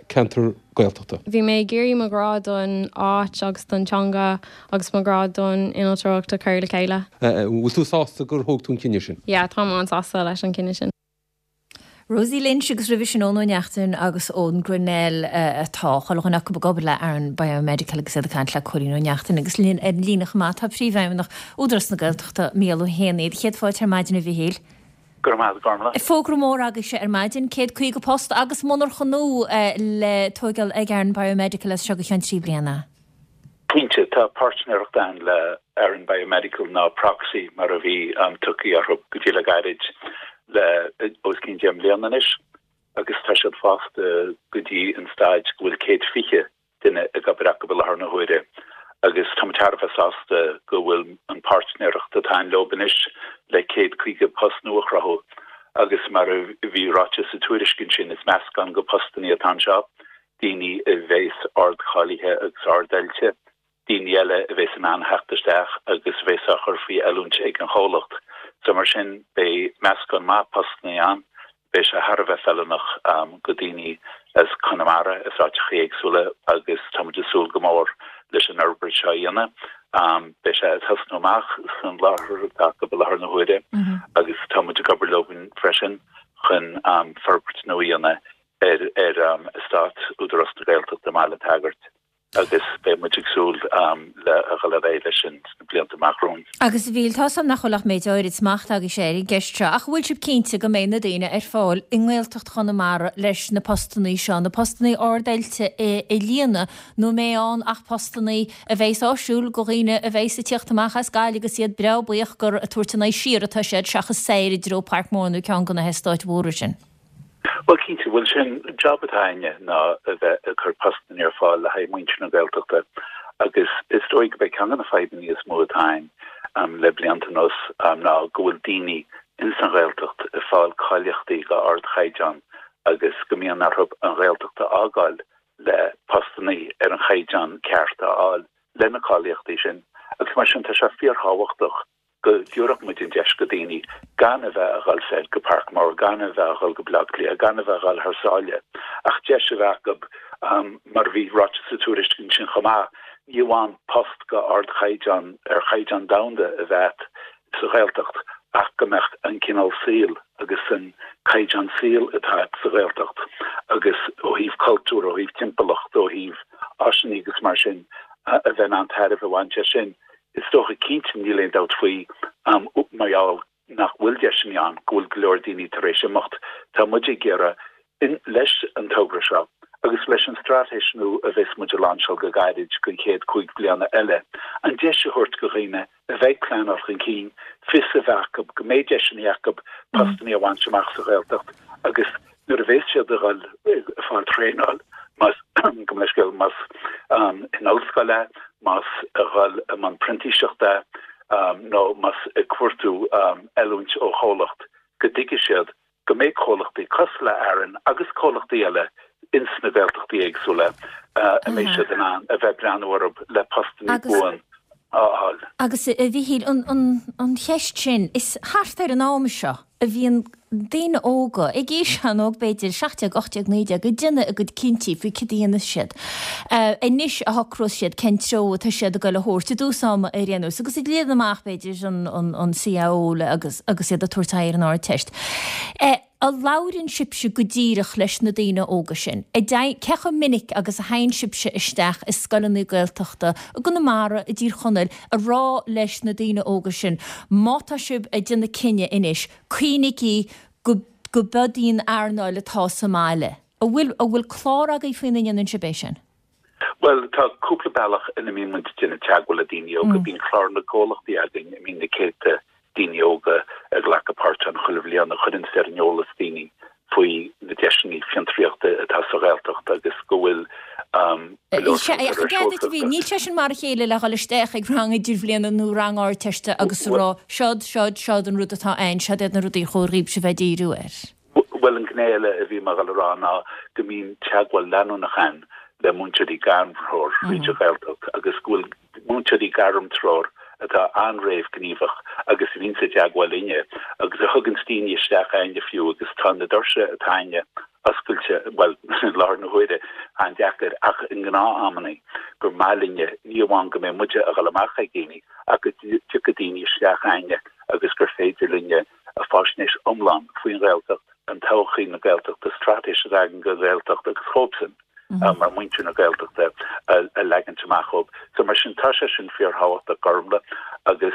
ceantar Gaeltachta? Bhí mé ag iarraidh mo ghrá don áit agus don teanga agus mo ghrá don innealtóireacht a chur le chéile. Bhfuil tú sásta gur thóg tú an cinneadh sin? Yeah, táim an-sásta leis an cinneadh sin. Rosie Lynch agus roimhe sin Eoin Ó Neachtain agus Eoin Grennell atá chuile dhuine acu ag obair le Aran Biomedical agus iad ag caint le Cóilín Ó Neachtain agus linn ar an líne chomh maith tá Príomhfheidhmeannach Údarás na Gaeltachta, Mícheál Ó hÉanaí. Céad fáilte ar maidin a Mhichíl. Go raibh maith agat, a Ghormfhlaith. Fógra mór agaibhse ar maidin, 150 post agus monarcha nua le tóigeáil ag Aran Biomedical as seo go ceann 3 bliana. Cinnte, tá páirtnéireacht ann le Aran Biomedical nó Proxy mar a bhí tugtha orthu go dtí le gairid le os cionn 10 mbliana anois agus tá siad fásta go dtí an staid go bhfuil 120 duine ag obair acu i láthair na huaire agus tá muid thar a bheith sásta go bhfuil an páirtnéireacht atá ann leo anois le 150 post nua a chruthú agus mar a bhí ráite sa tuairisc ansin is meascán de postannaí atá anseo daoine a bheas ardcháilithe agus ardoilte, daoine eile a bheas in ann theacht isteach agus a bheas á chur faoi oiliúint ag an chomhlacht. So mar sin, beidh meascán maith postannaí ann, beidh sé thar a bheith feiliúnach go daoine as Conamara, as áiteachaí éagsúla agus tá muid ag súil go mór leis an fhorbairt seo a dhéanamh. Beidh sé ag tosnú amach san láthair atá acu i láthair na huaire agus tá muid ag obair leo freisin chun forbairt nua a dhéanamh ar ar eastát Údarás na Gaeltachta i mBaile an tSagairt agus beidh muid ag súil le a dhul ar aghaidh leis sin sna blianta amach romhainn. Agus a Mhíchíl, tá 's a'm nach bhfuil ach méid áirid smachta agaibhse ar an gceist seo, ach an bhfuil sibh cinnte go mbeidh na daoine ar fáil i nGaeltacht Chonamara leis na postannaí seo, na postannaí ard-oilte a líonadh, nó an mbeidh ann ach postannaí a bheas áisiúil go dhaoine a bheas ag tíocht amach as Gaillimh agus iad breá buíoch gur ag tabhairt a n-aghaidh siar atá siad seachas soir i dtreo Parkmore nó ceann de na heastáit mhóra sin? Bhuel, cinnte, bhuel, sé an job atá againne ná a bheith ag cur postanna ar fáil le haghaidh muintir na Gaeltachta agus is dóigh go b'é ceann de na fadhbanna is mó atá ann le blianta anuas ná go bhfuil daoine ins an Ghaeltacht ag fáil cáilíochtaí go ardchaighdeán agus go mbíonn orthu an Ghaeltacht a fhágáil le postanna ar an chaighdeán ceart a fháil le na cáilíochtaí sin agus mar sin tá sé fíorthábhachtach go dtabharfadh muid an deis go daoine gan a bheith a dhul soir go Parkmore, gan a bheith a dhul go Baile Átha Cliath, gan a bheith a dhul thar sáile, ach deis a bheith acu, mar a bhí ráite sa tuairisc ansin chomh maith, ní amháin post go ardchaighdeán, ar chaighdeán domhanda a bheith sa Ghaeltacht ach go mbeadh an cineál saoil agus an caighdeán saoil atá sa Ghaeltacht agus ó thaobh cultúr, ó thaobh timpeallacht, ó thaobh áiseanna agus mar sin, a bheith in ann tairbhe a bhaint as sin. Is dócha, cinnte, níl aon dabht faoi, mar gheall nach bhfuil deiseanna ann, go bhfuil go leor daoine tar éis imeacht. Tá muid ag iarraidh, leis an togra seo agus leis an straitéis nua a bheas muid a lainseáil go gairid don chéad chúig bliana eile, an deis a thabhairt go dhaoine a bheidh ag pleanáil chun cinn, fios a bheith acu go mbeidh deiseanna acu postanna a bhaint amach sa Ghaeltacht agus Nuair a bheas siad ag dul ag fáil traenáil, más, gabh mo leithscéal, más in ollscoil é, más a dhul i mbun printíseachta é, nó más ag cuartú oiliúint ó chomhlacht, go dtuigfidh siad go mbeidh comhlachtaí cosúil le Aran agus comhlachtaí eile ins na Gaeltachtaí éagsúla a mbeidh siad in ann a bheith ag breathnú orthu le postannaí buan a fháil. Agus, a Mhichíl, an cheist sin, is thart ar an am seo a bhíonn daoine óga, ag aois an-óg b'fhéidir, 17, 18, 19, ag déanamh a gcuid cinntí faoi cad a dhéanfas siad. Anois a shocrós siad cén treo atá siad ag dul a thabhairt, i dtús ama ar aon nós, agus ag líonadh amach b'fhéidir an CAO agus agus iad ag tabhairt aghaidh ar an Ardteist. An labhrann sibhse go díreach leis na daoine óga sin? Cé chomh minic agus a théann sibhse isteach i scoileanna Gaeltachta i gConamara, i dTír Chonaill, a rá leis na daoine óga sin, má tá sibh ag déanamh cinneadh anois, cuimhnígí go, go b'iod í an earnáil atá sa mbaile. An bhfuil, an bhfuil clár agaibh faoina ndéanann sibh é sin? Bhuel, tá cúpla bealach ina mbíonn muid ag déanamh teagmháil le daoine óga. Bíonn clár na gcomhlachtaí againn a mbíonn na céadta daoine óga ag glacadh páirt ann chuile bhliain a chuireann ar an eolas daoine faoi na. deiseanna fiontraíochta atá sa Ghaeltacht agus go bhfuil go leor Sea, ach i gcead duit a bhí, níl sé sin mar a chéile le dhul isteach ag rang idirbhliana nó rang Ardteiste agus a rá, seod, seod, seod an rud atá ann, seod iad na rudaí ar chóir dhaoibhse bheith ag díriú air. Bhuel, an ghné eile a bhí mé ag dul a rá ná go mbíonn teagmháil leanúnach ann le múinteoirí gairmthreoir thríd an Ghaeltacht agus go bhfuil múinteoirí gairmthreoir atá an-réamhghníomhach agus a bhíonns i dteagmháil linne agus a thuganns daoine isteach a'inne fiú agus tá na doirse atá a'inne oscailte, bhuel, i láthair na huaire, an-deacair ach i ngnáth-amannaí gur maith linne ní amháin go mbeidh muide a dhul amach ag daoine ach go dtiocfaidh daoine isteach a'inne agus gur féidir linne faisnéis iomlán faoin Ghaeltacht, an todhchaí na Gaeltachta, straitéis atá againn don Ghaeltacht agus dhóibhsean mar muintir na Gaeltachta a leagaint amach dhóibh. So mar sin tá sé sin fíorthábhachtach Gormlaith agus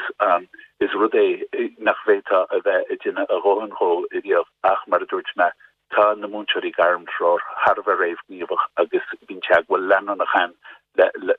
is rud é nach bhféadfá a bheith ag déanamh a dhóthain dhó riamh ach mar a dúirt mé tá na múinteoirí gairmthreoir thar a bheith réamhghníomhach agus bíonn teagmháil leanúnach ann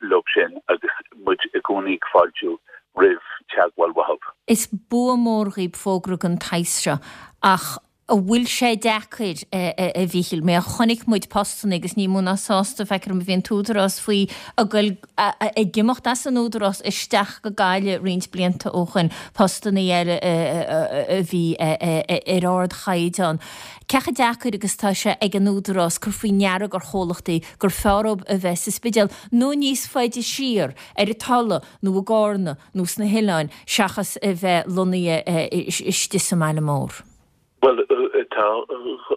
leo sin agus muid i gcónaí ag fáiltiú roimh teagmháil uathu. Is bua mór dhaoib fógra den tsaghas seo ach an bhfuil sé deacair, a Mhíchíl? Mar chonaic muid postanna agus ní mó ná sásta, feictear dom, a bhí an tÚdarás faoi ag goil ag imeacht as an Údarás isteach go Gaillimh roinnt blianta ó shoin, postanna eile a bhí ar ardchaighdeán. Cé chomh deacair agus atá sé ag an Údarás cur faoi ndeara gur chomhlachtaí gur fearr dóibh a bheith sa Spidéal nó níos faide siar, ar an Tulaigh nó i gCárna nó sna hoileáin, seachas a bheith lonnaithe istigh sa mbaile mór? Bhuel, tá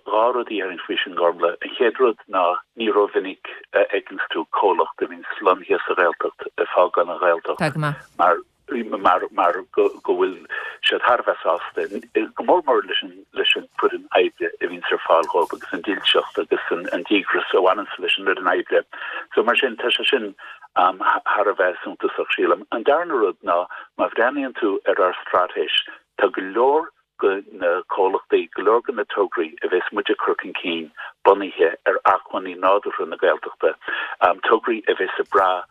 dhá rud a dhéarfainn faoi sin, Gormlaith. An chéad rud ná ní rómhinic a fheiceanns tú comhlacht a bhíonns lonnaithe sa Ghaeltacht ag fágáil an Ghaeltacht mar mar mar go go bhfuil siad thar a bheith sásta, go mór mór leis an leis an foireann oibre a bhíonns ar fáil dhóibh agus an dílseacht agus an an díograis a bhaineanns leis an fhoireann oibre. So mar sin tá sé sin thar a bheith suntasach, sílim. An darna rud ná má bhreathnaíonn tú ar ár straitéis, tá go leor de na comhlachtaí, go leor de na tograí a bheas muid ag cur chun cinn bunaithe ar acmhainní nádúrtha na Gaeltachta, tograí a bheas ag brath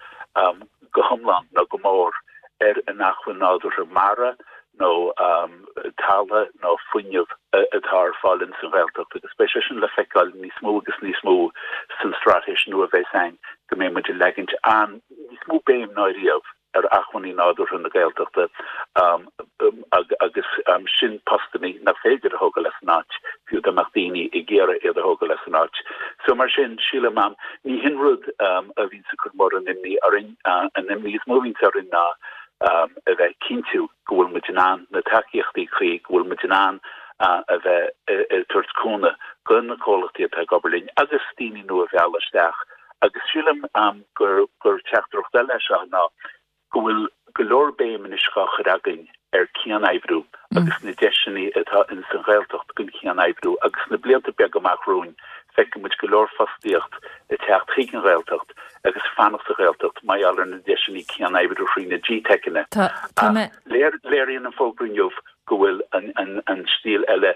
go hiomlán nó go mór ar an acmhainn nádúrtha mara nó talamh nó fuinneamh atá ar fáil ins an Ghaeltacht agus beidh sé sin le feiceáil níos mó agus níos mó san straitéis nua a bheas againn go mbeidh muid ag leagaint an níos mó béim ná riamh ar acmhainní nádúrtha na Gaeltachta agus sin postannaí nach féidir a thógáil as an áit, fiú dá mbeadh daoine ag iarraidh iad a thógáil as an áit. So mar sin, sílim, ní hin rud a bhíonns ag cur mórán imní orainn. An imní is mó a bhíonns orainn ná a bheith ag cinntiú go bhfuil muid in ann na tacaíochtaí cuí, go bhfuil muid in ann a bheith ag tabhairt cúnamh do na comhlachtaí atá ag obair linn agus daoine nua a mhealladh isteach. Agus sílim gur gur teachtaireacht eile é seo ná go bhfuil go leor béim anois dhá chur againn ar cian-oibriú agus na deiseanna atá ins an Ghaeltacht don chian-oibriú agus sna blianta beaga amach romhainn feicfidh muid go leor fostaíocht ag teacht chuig an Ghaeltacht agus fanacht sa Ghaeltacht mar gheall ar na deiseanna cian-oibriú thrí na GTeiceanna. Ach léiríonn an fógra inniu go bhfuil an stíl eile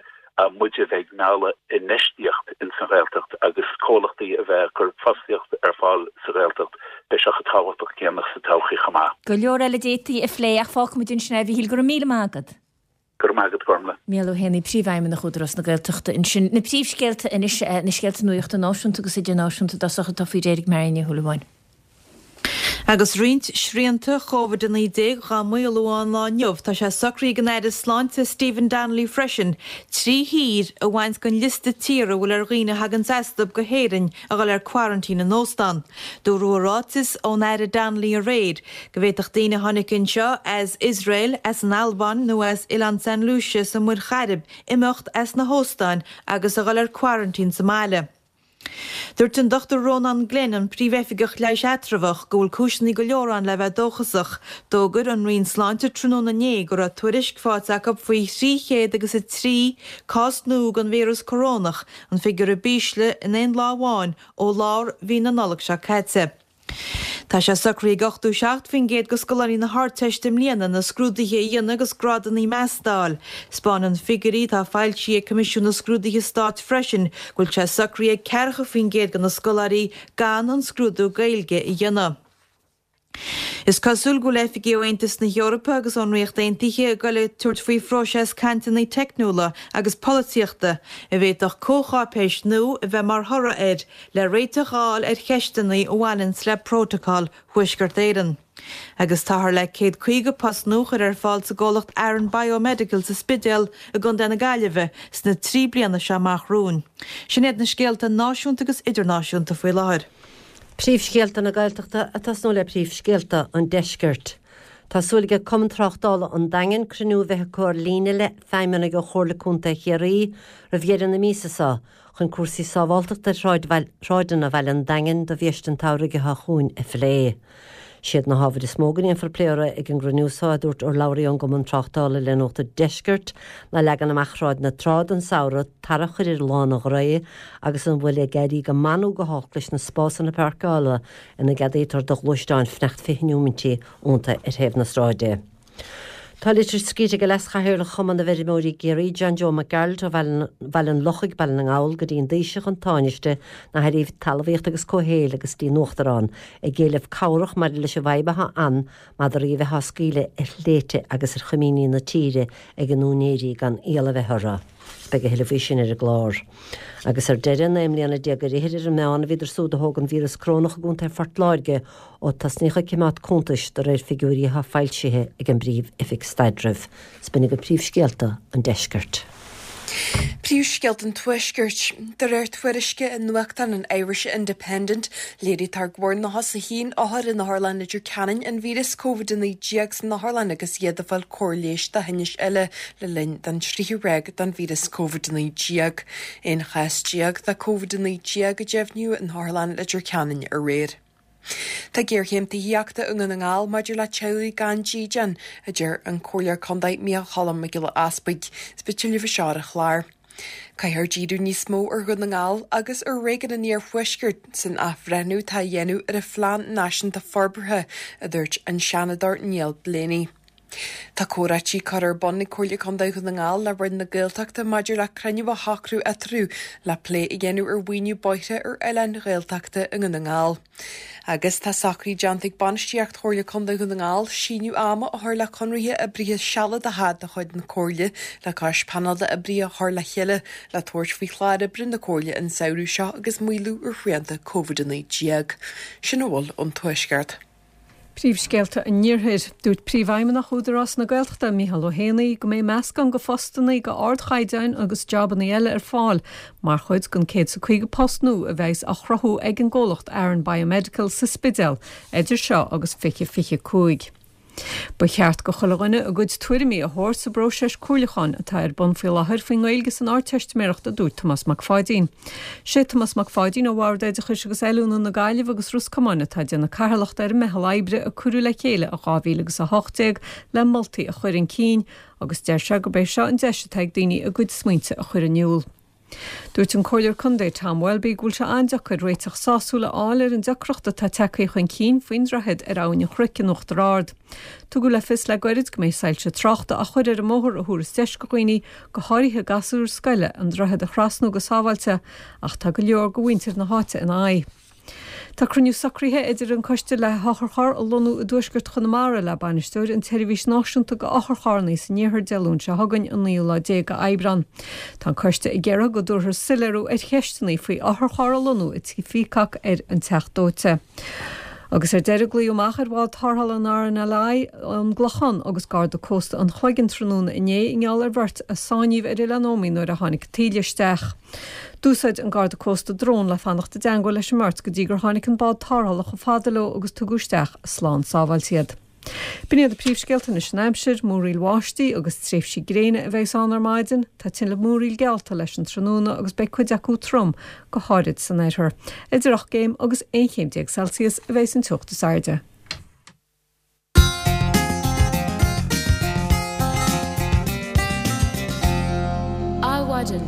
muid a bheith ag mealladh infheistíocht ins an Ghaeltacht agus comhlachtaí a bheith ag cur fostaíocht ar fáil sa Ghaeltacht, beidh sé chomh tábhachtach céanna sa todhchaí chomh maith. Go leor eile a d'fhéadfaí a phlé ach fágfaidh muid ansin é, a Mhíchíl. Go raibh míle maith agat. Go raibh maith agat, Gormlaith. Mícheál Ó hÉanaí, Príomhfheidhmeannach Údarás na Gaeltachta ansin. Na príomhscéalta anois, na scéalta nuachta náisiúnta agus idirnáisiúnta i dtosach atá faoi réir ag Marion Ní Shúilleabháin. Agus roinnt srianta Covid-19 dhá maolú ón lá inniu, tá sé socraithe ag an Aire Sláinte Stephen Donnelly freisin trí thír a bhaint den liosta tíortha a bhfuil ar dhaoine a thaganns astu go hÉirinn a dhul ar quarantine in óstán. Dúradh i ráiteas ón Aire Donnelly aréir go bhféadfadh daoine a tháinig anseo as Iosrael, as an Albáin nó as Oileán San Lúise sa Mhuir Chairib imeacht as na hóstáin agus a dhul ar quarantine sa mbaile. Dúirt an Dr Rónán Glenn, an Príomhoifigeach Leighis Eatramhach, go bhfuil cúiseanna go leor ann le bheith dóchasach. D'fhógair an Roinn Sláinte tráthnóna inné go raibh tuairisc faighte acu faoi 300 agus 3 cás nua den víreas corónach, an figiúr ab ísle in aon lá amháin ó lár mhí na Nollag seo caite. Tá sé socraithe ag 87% de scoláirí na hArdteiste i mbliana na scrúduithe a dhéanamh agus grádanna measta a fháil. Spáineann figiúirí atá foilsithe ag Coimisiún na Scrúduithe Stáit freisin go bhfuil sé socraithe ag 40% de na scoláirí gan an scrúdú Gaeilge a dhéanamh. Is cosúil go bhfuil oifigigh ó Aontas na hEorpa agus ón Ríocht Aontaithe ag goil ag tabhairt faoi phróiseas cainteanna teicniúla agus polaitíochta a bhféadfadh comhcháipéis nua a bheith mar thoradh air le réiteach a fháil ar cheisteanna a bhaineanns le Prótacal Thuaisceart Éireann. Agus táthar le 150 post nua a chur ar fáil sa gcomhlacht Aran Biomedical sa Spidéal i gContae na Gaillimhe sna 3 bliana seo amach romhainn. Sin iad na scéalta náisiúnta agus idirnáisiúnta faoi láthair. Príomhscéalta na Gaeltachta ag tosnú le príomhscéalta an Deiscirt. Tá súil ag Cumann Tráchtála an Daingin cruinniú a bheith acu ar líne le feidhmeannaigh ó Chomhairle Contae Chiarraí roimh dheireadh na míosa seo chun cúrsaí sábháltachta ar shráideanna bhaile an Daingin do bhiaiste an tsamhraidh atá chugainn a phlé. Siad na hábhair is mó go ndéanfar plé orthu ag an gcruinniú so, a dúirt urlabhraí ón gCumann Tráchtála le Nuacht an Deiscirt, ná leagan amach Shráid na Trá don samhradh, tarra a chur ar Lána Ghrae agus an bhfuil ag éirí go maith nó go holc leis na spásanna páirceála ina gceadaítear do ghluaisteáin fanacht 20 neomaintí iontu ar thaobh na sráide. Tá litir scríte ag Leas-Chathaoirleach Chumann na bhFeirmeoirí i gCiarraí, John Joe Mac Gearailt ó Bhaile an Lochaigh, Baile na nGall, go dtí an Taoiseach, an Tánaiste, na hAirí Talmhaíochta agus Comhshaoil agus dtí an Uachtarán, ag éileamh cabhrach maidir leis an bhfadhb atá ann madraí a bheith á scaoileadh ar shléibhte agus ar choimíní na tíre ag a n-úinéirí gan iall a bheith orthu. Beidh a thuilleadh faoi sin ar an gclár. Agus ar deireadh, 19 mbliana ar fhichid ar an meán a bhíodar súd a thóg an víreas corónach i gContae Phort Láirge Ó tosnaíodh ag coimeád cuntais de réir figiúirí atá foilsithe ag an bPríomh-Oifig Staidrimh. 'S b'in agaibh príomhscéalta an deiscirt. Príomhscéalta an Tuaiscirt. De réir tuairisce i nuachtán an Irish Independent, léirítear go bhfuair 91 othar in Otharlann Leitir Ceanainn an víreas Covid-19 san otharlann agus iad ag fáil cóir leighis do thinnis eile le linn don tríú ráig den víreas Covid-19. 11 chás de Covid-19 a deimhníodh in Otharlann Leitir Ceanainn aréir. Tá géarchéim tithíochta i nDún na nGall maidir le teaghlaigh gan dídean, a deir an Comhairleoir Contae Micheál Cholm Mac Giolla Easbuig. Is beidh tuilleadh faoi seo ar an chlár. Caithfear díriú níos mó ar Dhún na nGall agus ar réigiún an Iarthuaiscirt san athbhreithniú atá á dhéanamh ar an Phlean Náisiúnta Forbartha, a dúirt an Seanadóir Niall Blaney. Tá comhráití curtha ar bun ag Comhairle Contae Dhún na nGall le Roinn na Gaeltachta maidir le cruinniú a shocrú eatarthu le plé a dhéanamh ar mhaoiniú bóithre ar oileáin Ghaeltachta i nDún na nGall. Agus tá socruithe déanta ag bainistíocht Chomhairle Contae Dhún na nGall síneadh ama a chur le conraithe oibrithe sealadacha de chuid na Comhairle le cois painéal d'oibrithe a chur le chéile le tabhairt faoi chlár oibre na Comhairle an samhradh seo agus maolú ar shrianta Covid-19. Sin a bhfuil ón Tuaisceart. Príomhscéalta an Iarthair. Dúirt Príomhfheidhmeannach Údarás na Gaeltachta, Micheál Ó hÉanaí, go mbeidh meascán de phostanna de ardchaighdeáin agus jabanna eile ar fáil mar chuid den 150 post nua a bheas á chruthú ag an gcomhlacht Aran Biomedical sa Spidéal idir seo agus 2025. Ba cheart go chuile dhuine a gcuid tuairimí a thabhairt sa bpróiseas comhairliúcháin atá ar bun faoi láthair faoin nGaeilge san Ardteistiméireacht a dúirt Tomás Mac Pháidín. Sé Tomás Mac Pháidín ó Bhord Oideachais agus Oiliúna na Gaillimhe agus Ros Comáin atá ag déanamh cathaoirleachta ar an meitheal oibre a cuireadh le chéile i 2018 le moltaí a chur chun cinn agus deir sé gurb é seo an deis atá ag daoine a gcuid smaointe a chur in iúl. Dúirt an Comhairleoir Contae Tom Welby go bhfuil sé an-deacair réiteach sásúil a fháil ar an deacracht atá tagtha chun cinn faoin droichead ar Abhainn an Chnoic in Uachtar Ard. Tugadh le fios le goirid go mbeidh soilse tráchta á chur ar an mbóthar a thabharfas deis go dhaoine, go háirithe gasúir scoile, an droichead a thrasnú go sábháilte, ach tá go leor de mhuintir na háite ina aghaidh. Tá cruinniú socraithe idir an coiste le hotharcharr a lonnú i dtuaisceart Chonamara le bainisteoir an tSeirbhís Náisiúnta go Otharcharranna san Iarthar Dé Luain seo chugainn, an naoú lá déag de Aibreán. Tá an coiste ag iarraidh go dtabharfar soiléiriú ar cheisteanna faoi otharcharr a lonnú i Tigh Pheacock ar an Teach Dóite. Agus ar deireadh glaodh amach ar bhád tarrthála an RNLI ón gClochán agus Garda Cósta an Chloigeann tráthnóna inné i ngeall ar bheirt a sáinníodh ar Oileán Ómaigh nuair a tháinig taoille isteach. D'úsáid an Garda Cósta drón le fanacht i dteangmháil leis an mbeirt go dtí gur tháinig an bád tarrthála chomh fada leo agus tugadh isteach slán sábháilte iad. B'in iad na príomhscéalta anois an aimsir, múraíl bháistí agus tréimhsí gréine a bheas ann ar maidin. Tá tinleabh múraíl geallta leis an tráthnóna agus beidh cuid acu trom, go háirid san oirthear. Idir 8 gcéim agus 11 chéim Celsius a bheas an teocht is airde. Adhmhaidin.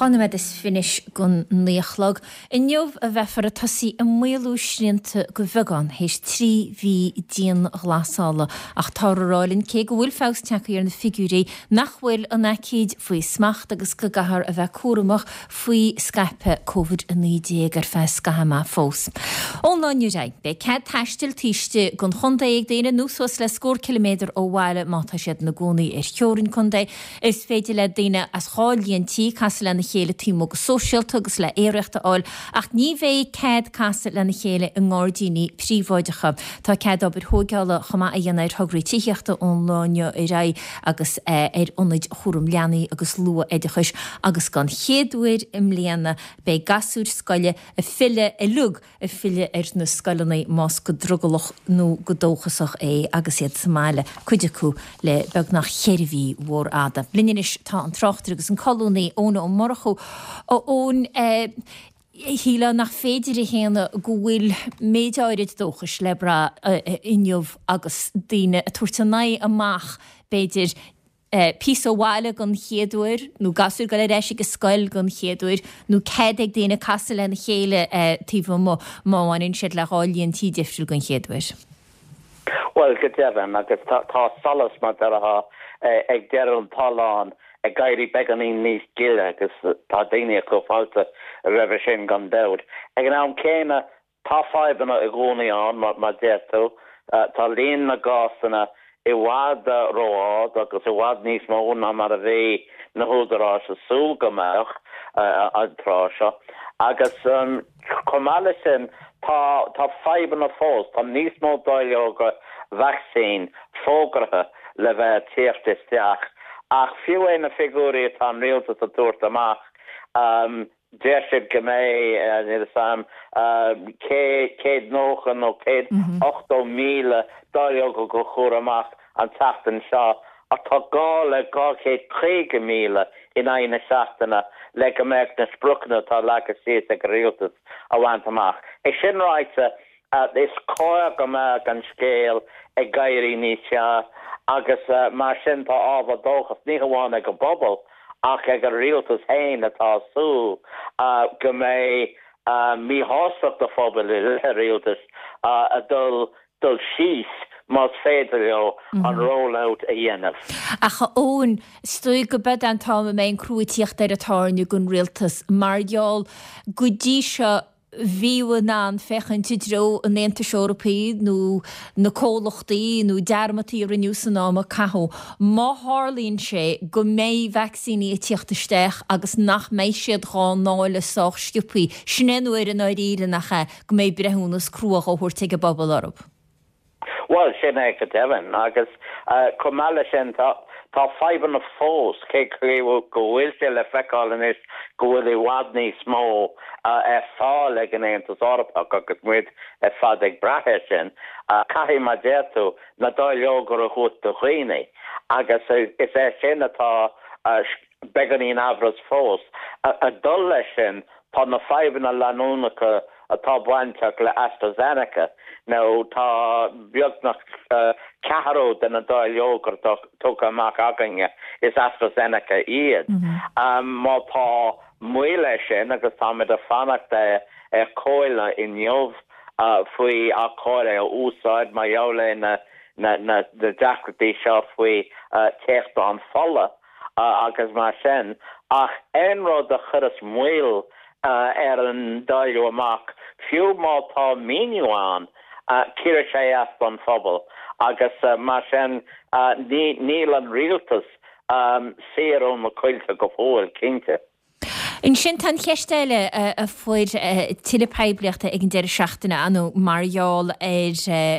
2 nóiméad is fiche don 9 a chlog. Inniu a bheifear ag tosaí ag maolú srianta de bheagán théis 3 mhí dianghlasála ach táthar ag rá linn cé go bhfuil feabhas tagtha ar na figiúirí nach bhfuil an aicíd faoi smacht agus go gcaithfear a bheith cúramach faoi scaipeadh Covid-19 ar feadh scaitheamh maith fós. Ón lá inniu ar aghaidh, beidh cead taistil taobh istigh den chontae ag daoine nó suas le scór ciliméadar ó bhaile má tá siad ina gcónaí ar theorainn contae. Is féidir le daoine as 2 líon tí casadh lena chéile taobh amuigh go sóisialta agus le aeraíocht a fháil ach ní bheidh cead casadh lena chéile i ngairdíní príobháideacha. Tá cead obair thóigeála chomh maith a dhéanamh ar thograí tithíochta ón lá inniu ar aghaidh agus ar ionaid chúram leanaí agus luath-oideachais agus don chéad uair i mbliana beidh gasúir scoile ag filleadh uilig ag filleadh ar na scoileanna más go drogallach nó go dóchasach é agus iad sa mbaile, cuid acu le beagnach cheithre mhí mhór fhada. Linn anois tá an tráchtaire agus an colúnaí Eoin Ó Murchú. A Eoin, shílfeá nach féidir a shéanadh go bhfuil méid áirid dóchais le brath inniu agus daoine ag tabhairt a n-aghaidh amach, b'fhéidir, píosa ó bhaile don chéad uair, nó gasúir ag dul ar ais ag an scoil don chéad uair, nó cead ag daoine casadh lena chéile taobh amuigh má bhaineann siad le 2 líon tí difriúil don chéad uair. Bhuel, go deimhin, agus tá solas, mar déarfá, ag deireadh an tolláin ag éirí beagáinín níos gile agus tá daoine ag cur fáilte roimhe sin gan dabht. Ag an am céanna, Tá fadhbanna i gcónaí ann, mar a deir tú. Tá líon na gcásanna i bhfad ró-ard agus i bhfad níos mó ná mar a bhí na húdaráis ag súil go mbeadh an tráth seo. Agus chomh maith leis sin, tá tá fadhbanna fós. Tá níos mó dáileoga vacsaín fógartha le bheith ag tíocht isteach ach fiú é na figiúirí atá an rialtas ag tabhairt amach, Deir siad go mbeidh, níl a fhios a'm, 190 nó 180,000 dáileog á gcur amach an tseachtain seo ach tá gá le 250,000 in aghaidh na seachtaine le go mbeadh na spriocanna atá leagtha síos ag an rialtas a bhaint amach. É sin ráite, is cóir go mbeadh an scéal ag éirí níos fearr agus mar sin tá ábhar dóchais ní hamháin ag an bpobal ach ag an rialtas féin atá ag súil go mbeidh míshástacht an phobail i leith an rialtais ag dul dul síos más féidir leo an roll-out a dhéanamh. Ach a Eoin, is dóigh go b'fhéidir an t-am a mbeidh an crú ag tíocht ar an tairne don rialtas mar gheall go dtí seo bhíodh in ann féachaint i dtreo an Aontais Eorpaigh nó na comhlachtaí nó dearmadtaí a rinneadh san am a caitheadh. Má tharlaíonn sé go mbeidh vacsaíní ag tíocht isteach agus nach mbeidh siad dhá ndáileadh sách sciobthaí, sin é an uair i ndáiríre, nach ea, go mbeidh breithiúnas crua dhá thabhairt ag an bpobal orthu. Bhuel, sin é go deimhin. Agus chomh maith leis sin, tá fadhbanna fós, cé go bhfuil sé le feiceáil anois go bhfuil i bhfad níos mó ar fáil ag an Aontas Eorpach agus muid ar fad ag brath air sin, caithfidh, mar a deir tú, na dáileoga a thabhairt do dhaoine. Agus is é sin atá beagáinín amhras fós. Ag dul leis sin, tá na fadhbanna leanúnacha atá bainteach le AstraZeneca, nó tá beagnach ceathrú de na dáileoga atá tugtha amach againne, is AstraZeneca iad. Má tá moill air sin, agus táimid ag fanacht ar chomhairle inniu faoi ar chóir é a úsáid mar gheall ar na deacrachtaí seo faoi théachtán fola, agus mar sin, ach aon rud a chuireas moill ar an dáileadh amach, fiú má tá míniú ann, cuirfidh sé as don phobal agus mar sin níl an rialtas saor ó na coillte go fóill, cinnte. Ansin tá an cheist eile a fuair tuilleadh poiblíochta ag an deireadh seachtaine, ar ndóigh, mar gheall ar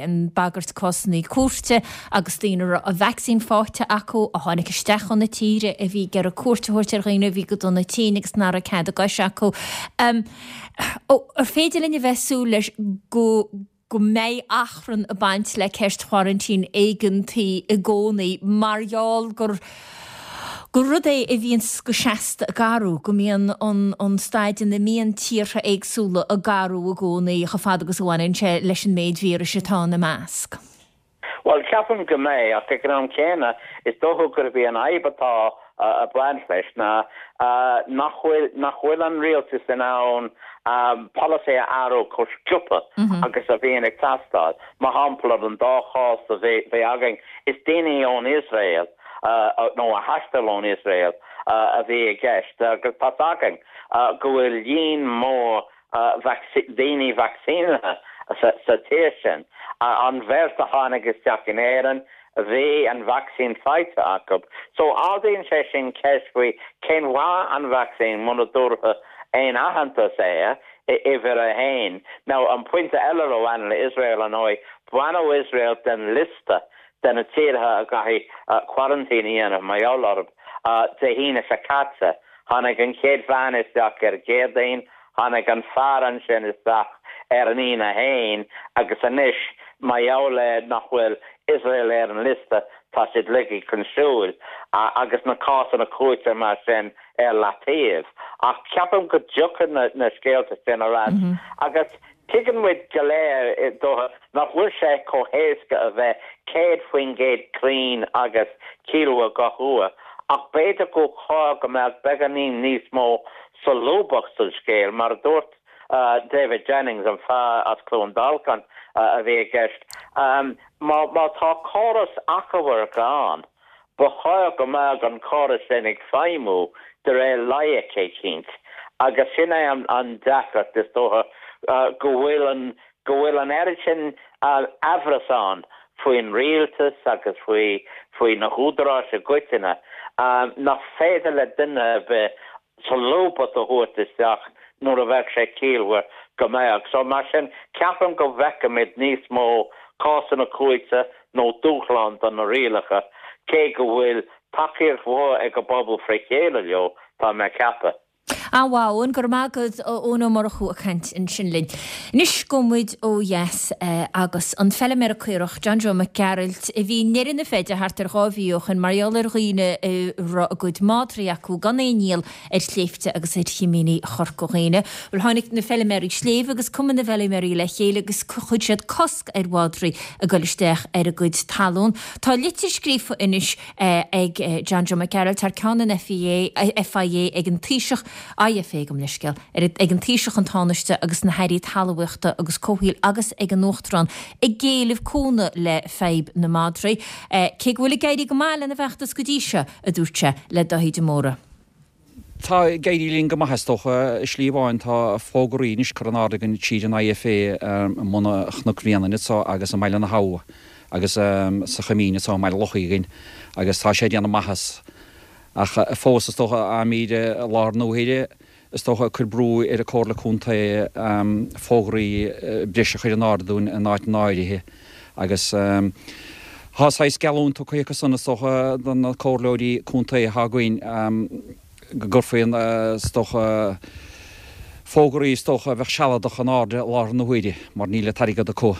an bagairt cásanna cúirte agus daoine a raibh an vacsaín faighte acu a tháinig isteach chun na tíre a bhí ag iarraidh cuairt a thabhairt ar dhaoine a bhí go dona tinn agus nach raibh cead a gcoise acu. Ar féidir linn a bheith ag súil leis go go mbeidh achrann ag baint le ceist choraintín éigeantaí i gcónaí mar gheall gur gur rud é a bhíonns go seasta ag athrú, go mbíonn an an staid ina mbíonn tíortha éagsúla ag athrú i gcónaí chomh fada agus a bhaineann sé leis an méid víris atá ina measc. Bhuel, ceapaim go mbeidh, ach ag an am céanna, is dócha gurb í an fhadhb atá. ag baint leis ná nach bhfuil nach bhfuil an rialtas in ann polasaí a athrú chomh sciobtha agus a bhíonn ag teastáil. Mar shampla, an dá chás a bhí againn, is daoine ón Iosrael nó a thaistil ón Iosrael a bhí i gceist agus tá's againn go bhfuil líon mór daoine vacsaínithe sa tír sin. An bheirt a tháinig isteach in Éirinn, bhí an vacsaín faighte acu. So ardaíonn sé sin ceist faoi cén mhaith an vacsaín muna dtabharfá aon aitheantas air, uimhir a haon. Now an pointe eile a bhaineann le Iosrael, ar ndóigh, baineadh Iosrael den liosta de na tíortha a gcaithfidh quarantine a dhéanamh mar gheall orthu Dé hAoine seo caite. Tháinig an chéad bhean isteach ar an gCéadaoin, tháinig an fear ansin isteach ar an Aoine féin agus anois, mar gheall ar nach bhfuil Iosrael ar an liosta, tá siad ligthe chun siúil agus na cásanna cúirte mar sin ar leataobh. Ach ceapaim go dtiocfaidh na scéalta sin ar ais agus Tuigeann muid go léir, is dócha, nach bhfuil sé chomh héasca a bheith 100% cruinn agus ciallmhar gach uair, ach b'fhéidir gur chóir go mbeadh beagáinín níos mó solúbthacht sa scéal, mar a dúirt David Jennings, an fear as Cluain Dolcáin a bhí i gceist. Má tá córas achomhairc ann, Ba chóir go mbeadh an córas sin ag feidhmiú de réir loighic eicínt agus sin é an deacracht is dócha, go bhfuil an, go bhfuil an oiread sin aimhreas ann faoin rialtas agus faoi, faoi na húdaráis i gcoitinne nach féidir le duine ar bith solúbthacht a thabhairt isteach nuair a bheadh sé ciallmhar go mbeadh. So mar sin, ceapaim go bhfeicfimid níos mó cásanna cúirte nó dúshlán do na rialacha, cé go bhfuil tacaíocht mhór ag an bpobal fré chéile leo, tá mé ag ceapadh. An-mhaith, Eoin. Go raibh maith agat, Eoin Ó Murchú ag caint ansin linn. Anois gabhfaidh muid ó dheas agus an feilméara caorach, John Joe Mac Gearailt, a bhí i ndeireadh na feide thart ar 2 mhí ó shoin mar gheall ar dhaoine a raibh a gcuid madraí acu gan aon iall ar shléibhte agus ar chimíní Chorca Dhuibhne. Bhuel, tháinig na feilméaraí sléibhe agus Cumann na bhFeilméaraí le chéile agus chuir siad cosc ar mhadraí ag dul isteach ar a gcuid talún. Tá litir scríofa anois ag John Joe Mac Gearailt thar ceann an FIA, FIA ag an Taoiseach, IFA gabh mo leithscéal, ag an Taoiseach, an Tánaiste agus na hAirí Talmhaíochta agus Comhshaoil agus ag an Uachtarán ag éileamh cúnamh le fadhb na madraí. Cé go bhfuil ag éirí go maith lena bhfeachtas go dtí seo, a dúirt sé le Dáithí de Mórdha. Tá ag éirí linn go maith is dócha. I slí amháin tá fógraí anois curtha in airde againn tríd an IFA i mbun Chnoc Bhréanainn anso agus i mBaile na hAbha agus sa Choimín anso i mBaile Locha againn agus tá sé ag déanamh maitheas. Ach fós is dócha táimid i láthair na huaire is dócha ag cur brú ar an Comhairle Contae fógraí breise a chur in airde dúinn in áiteanna áirithe agus tá saghas geallúint tugtha acu san is dócha do na comhairleoirí contae atá againn go gcuirfí is dócha fógraí is dócha a bheadh sealadach in airde i láthair na huaire mar níl an t-airgead acu.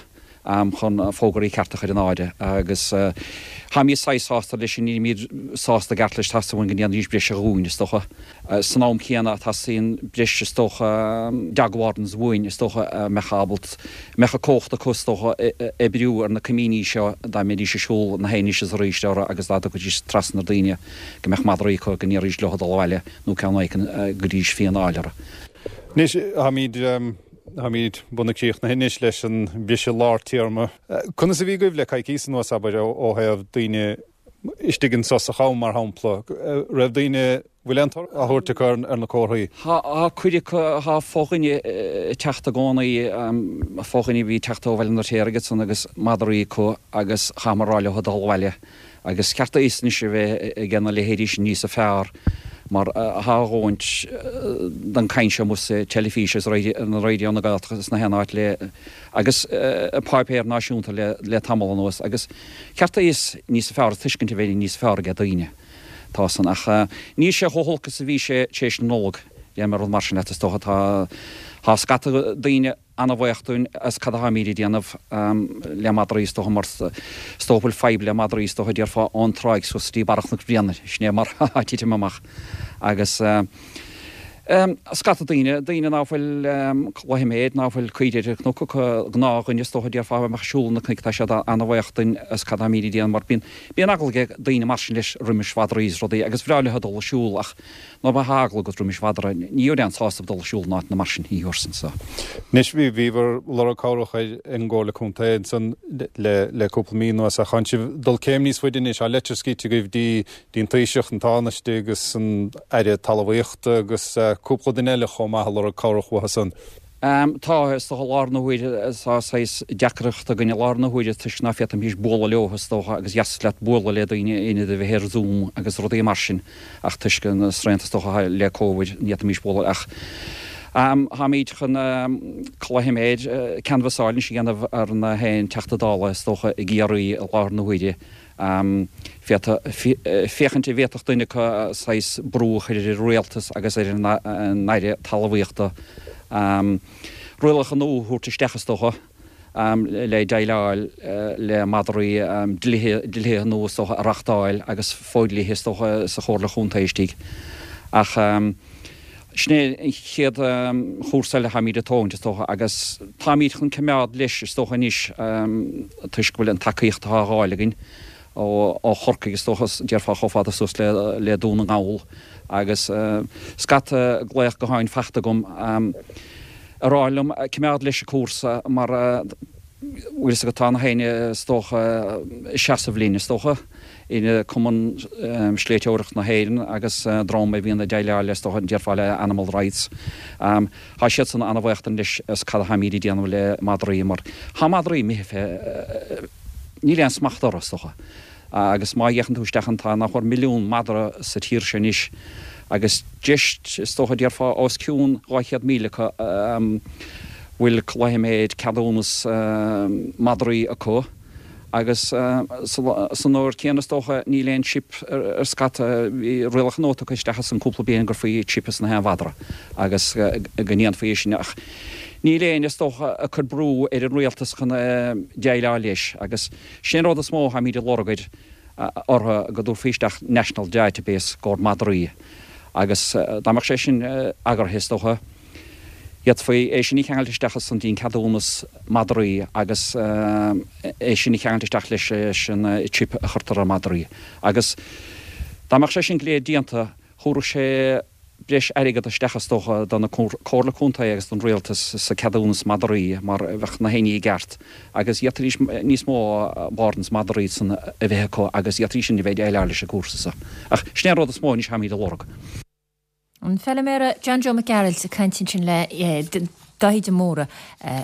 chun fógraí cearta a chur in airde agus táimid saghas sásta leis sin, nílimid sásta i gceart leis, teastaíonn uainn go ndéanfaidís breis dhúinn, is dócha. San am céanna, teastaíonn breis, is dócha, dog wardens uainn, is dócha, a mbeadh ábalta, a mbeadh an cumhacht acu, is dócha, oibriú ar na coimíní seo dá mbeidís ag siúl na anois is arís orthu agus dá dtiocfaidís trasna ar daoine go mbeadh madraí acu, go ndéarfaidís leo dul abhaile nó ceann éicint go gcuirfidís fíon a fháil orthu. Anois, táimid. Táimid beagnach críochnaithe anois leis an bhriseadh lár téarma. Conas a bhí agaibh le coicíos anuas, abair, ó thaobh daoine istigh anso sa Cham, mar shampla? Raibh daoine, bhfuil aon toradh á thabhairt acu ar na comharthaí? Tá, cuid acu, tá fo-dhuine ag teacht i gcónaí, fo-dhuine a bhí ag teacht ó Bhaile an Fheirtéaraigh ansan agus madraí acu agus chaitheamar a rá leo dul abhaile. Agus is ceart a fhios anois a bheith ag na leithéidí sin níosa fearr mar thá a dhóthaint den caint seo amuigh sa teilifís agus ar Raidió na Gaeltachta is na haon áit le agus i páipéir náisiúnta le le tamall anuas agus ceart a fhios níosa fearr tuiscint a bheith níosa fearr aige daoine. Tá san ach níl sé chomh holc is a bhí sé tar éis na Nollag, déarfaidh mé rud mar sin leat is dócha. Tá tá scata daoine an-bhuíoch dúinn as cad atáimíd ag déanamh le madraí is dócha mar is dócha bhfuil fadhb le madraí is dócha déarfá ón tráigh suas dtí Barra Chnoc Bhréanainn, sin é mar atá ag titim amach agus. Scata daoine, daoine ná fuil cloichméid, ná fuil caoire ar an gcnoc acu, gnáthdhuine is dócha déarfá a bheadh ag siúl na cnoic, tá siad ana-bhaoch duinn as cad táimíd ag déanamh mar bíonn, bíonn eagla ag daoine mar sin leis roimis mhadraí is rudaí agus bhreá leo dul ag siúl ach nuair a bheadh eagla agat roimis mhadra ní gheobhair aon sásamh dul ag siúl in áiteanna mar sin, ní thabharfainn so. Anois bhí, bhíobhair lorg cabhrach ar an gComhairle Contae ansan le, le cúpla mí anuas ach tánn sibh dul céim níos faide anois, tá leitir scríte agaibh dtí, dtí an Taoiseach, an Tánaiste agus an Aire Talmhaíochta agus cúpla duine eile chomh maith ag lorg cabhrach uathu san. Tá, is dócha, i láthair na huaire, tá saghas deacracht againn i láthair na huaire toisc ná féadfaimís bualadh leo, is dócha, agus dheas leat bualadh le daoine in ionad a bheith ar Zoom agus rudaí mar sin ach toisc na srianta, is dócha, le Covid, ní fhéadfaimís bualadh ach táimíd chun cloichméid, canbhasáil anois a dhéanamh ar na haon Teachta Dála, is dócha, i gCiarraí i láthair na huaire. Féachaint an bhféadfadh duine acu saghas brú a chur ar an rialtas agus ar an Aire Talmhaíochta rialacha nua a thabhairt isteach is dócha le déileáil le madraí, dlíthe nua is dócha a reachtáil agus fodhlíthe is dócha sa Chomhairle Chontae istigh. Ach. Sin é an chéad chúrsa eile atáimid ag tógaint, is dócha, agus táimid chun coimeád leis, is dócha, anois, toisc go bhfuil an tacaíocht atá á fháil againn ó Chorcaigh, is dócha, déarfá, chomh fada suas le Dún na nGall, agus scata glaoch gutháin fachta agam ag rá liom coimeád leis an cúrsa mar bhfuil fhios agat, tá na héinne, is dócha, ag seasamh linn, is dócha. in Cumann Sléibhteoireachta na hÉireann agus dream a bhíonn ag déileáil le, is dócha, déarfá le animal rights. Tá siadsan an-bhaoch dúinn leis as cad atáimíd ag déanamh le madraí mar tá madraí imithe fé, níl aon smacht orthu, is dócha. Agus má fhéachann tú isteach ann tá nach mór milliún madra sa tír seo anois agus just, is dócha, déarfá os cionn 200,000 acu a bhfuil cloichméid, ceadúnas madraí acu. Agus san uair céanna is dócha níl aon chip ar scata, bhí rialacha nua tugtha isteach ansan cúpla bliain go gcuirfí chip sna haon mhadra agus go ndéanfaí é sin ach níl éinne is dócha ag cur brú ar an rialtas chun déileáil leis agus sin an rud is mó atáimid ag lorg air orthu go dtabharfaí isteach national database i gcomhair madraí agus dá mbeadh sé sin eagraithe is dócha D'fhéadfaí é sin a cheangailt isteach ansan dtí'n ceadúnas madraí agus é sin a cheangailt isteach leis an chip a chuirtear ar madraí. Agus dá mbeadh sé sin go léir déanta, thabharfadh sé breis airgead isteach is dócha do na Comhairle Contae agus don Rialtas sa ceadúnas madraí mar bheadh na héinní i gceart agus d'fhéadfaidís níos mó wardens madraí san a bheith acu agus d'fhéadfaidís sin a bheith ag déileáil leis an gcúrsa so. Ach sin é an rud is mó anois atáimid a lorg. An feilméara John Joe Mac Gearailt ag caint ansin le Dáithí de Mórdha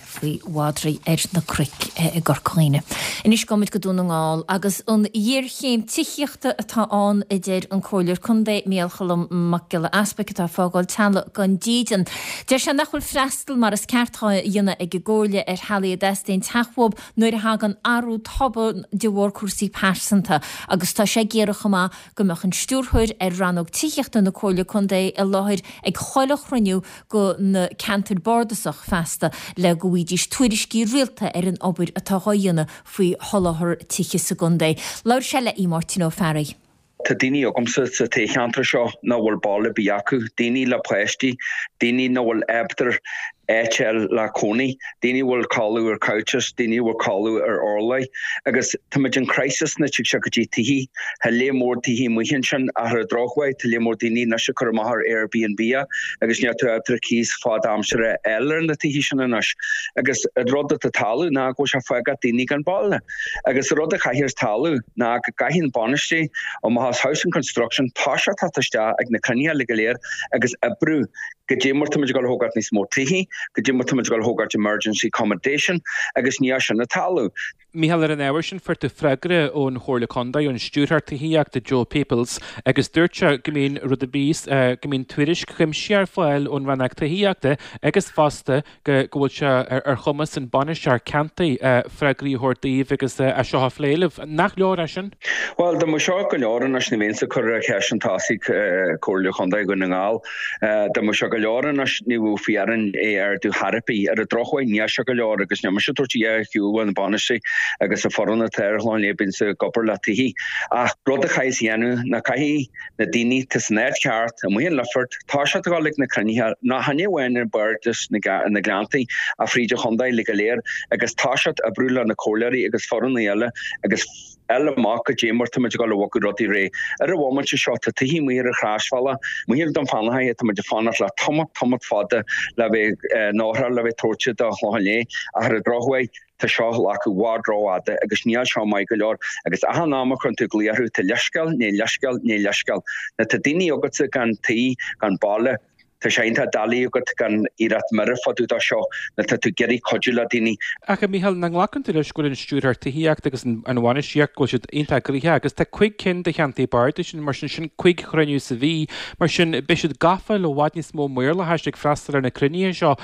faoi mhadraí ar na cnoic i gCorca Dhuibhne. Anois gabhfaimid go Dún na nGall agus an ghéarchéim tithíochta atá ann a deir an Comhairleoir Contae Micheál Choilm Mac Giolla Easpaig atá ag fágáil teaghlaigh gan dídean. Deir sé nach bhfuil freastal mar is ceart dhá dhéanamh ag an gComhairle ar theaghlaigh a dteastaíonn teach uathu nuair a thagann athrú tobann de bharr cúrsaí pearsanta agus tá sé ag iarraidh chomh maith go mbeadh an Stiúrthóir ar Rannóg Tithíochta na Comhairle Contae i láthair ag chuile chruinniú go na ceantair bardasach feasta le go bhfaighidís tuairiscí rialta ar an obair atá dhá dhéanamh faoi sholáthar tithe sa gcontae. Labhair sé le Aodh Máirtín Ó Fearraigh. Tá daoine agamsa sa toghcheantar seo nach bhfuil baile ar bith acu, daoine le páistí, daoine nach bhfuil ábalta áit a fháil le cónaí, daoine a bhfuil codladh ar couches, daoine a bhfuil codladh ar urláir agus táimid in crisis nuair a tig sé go dtí tithí. Tá lear mór tithí amuigh ansin ach ar an drochuair tá lear mór daoine anois ag cur amach ar Airbnb agus níl tú ábalta cíos fad aimsire a fháil ar na tithí sin anois. Agus an rud atá ag tarlú ná go bhfuil sé ag fágáil daoine gan baile. Agus an rud a chaithfeas tarlú ná go gcaithfidh an bainistiú amach as Housing Construction toiseacht teacht isteach ag na cruinnithe uilig go léir agus oibriú Goidé mar táimid ag dul a thógáilt níos mó tithí, goidé mar táimid ag dul a thógáilt emergency accommodation agus níl sin ag tarlú. Mícheál, ar an ábhar sin, fuair tú freagra ón Chomhairle Contae, ón Stiúrthóir Tithíochta Joe Peoples, agus dúirt sé go mbíonn rud ar bith, go mbíonn tuairisc chuimsitheach ar fáil ón Rannóg Tithíochta agus fosta go bhfuil sé ar chumas an Bainisteoir Ceantair freagraí a thabhairt daoibh agus é seo a phlé libh. Nach leor é sin? Bhuel, dá mbeadh seo go leor anois ní bheinnse ag cur ceist chun tosaigh Comhairle Chontae Dhún na nGall. Dá mbeadh seo go leor anois ní bheadh fiú orainn é a. ardú chor ar bith. Ar an drochuair, níl sé go leor agus níl mise ag tabhairt a dhath ar shiúl an bainisteoir agus an foireann atá ar an Chlochán Liath bíonn ag obair le tithí. Ach rud a chaithfidh a dhéanamh ná caithfidh na daoine atá san áit cheart, amuigh in Lifford, toiseacht a dhul ag na cruinnithe, ná chan é amháin i mBardas na nGleanntaí ach fríd an chontae uilig go léir agus toiseacht oibriú le na comhairleoirí agus foireann eile agus fháil amach goidé mar táimid ag dul a bhogadh rudaí ar aghaidh. Ar an bhomaite seo tá tithí amuigh ar an chrasbhealach, amuigh ar Dún Fionnachaidh, tá muid ag fanacht le tamall, tamall fada le bheith n-ofráil le bheith tabhairte do Chlochán Liath ach ar an drochuair tá seo ag glacadh i bhfad rófhada agus níl seo maith go leor agus achan am a chuireann tú glao orthu tá leithscéal, nó leithscéal, nó leithscéal. Nuair tá daoine agatsa gan tí, gan baile, tá sé iontach doiligh agat gan iarracht mire fá dtaobh de seo nuair tá tú ag iarraidh cuidiú le daoine. Ach a Mhícheáil, nach nglacann tú leis go bhfuil an Stiúrthóir Tithíochta agus an bhainistíocht, go bhfuil siad iontach gnoitheach agus tá 5 cinn de cheantair bardais ann, mar sin, sin 5 chruinniú sa mhí, mar sin beidh siad gafa le i bhfad níos mó maorlathais ag freastal ar na cruinnithe seo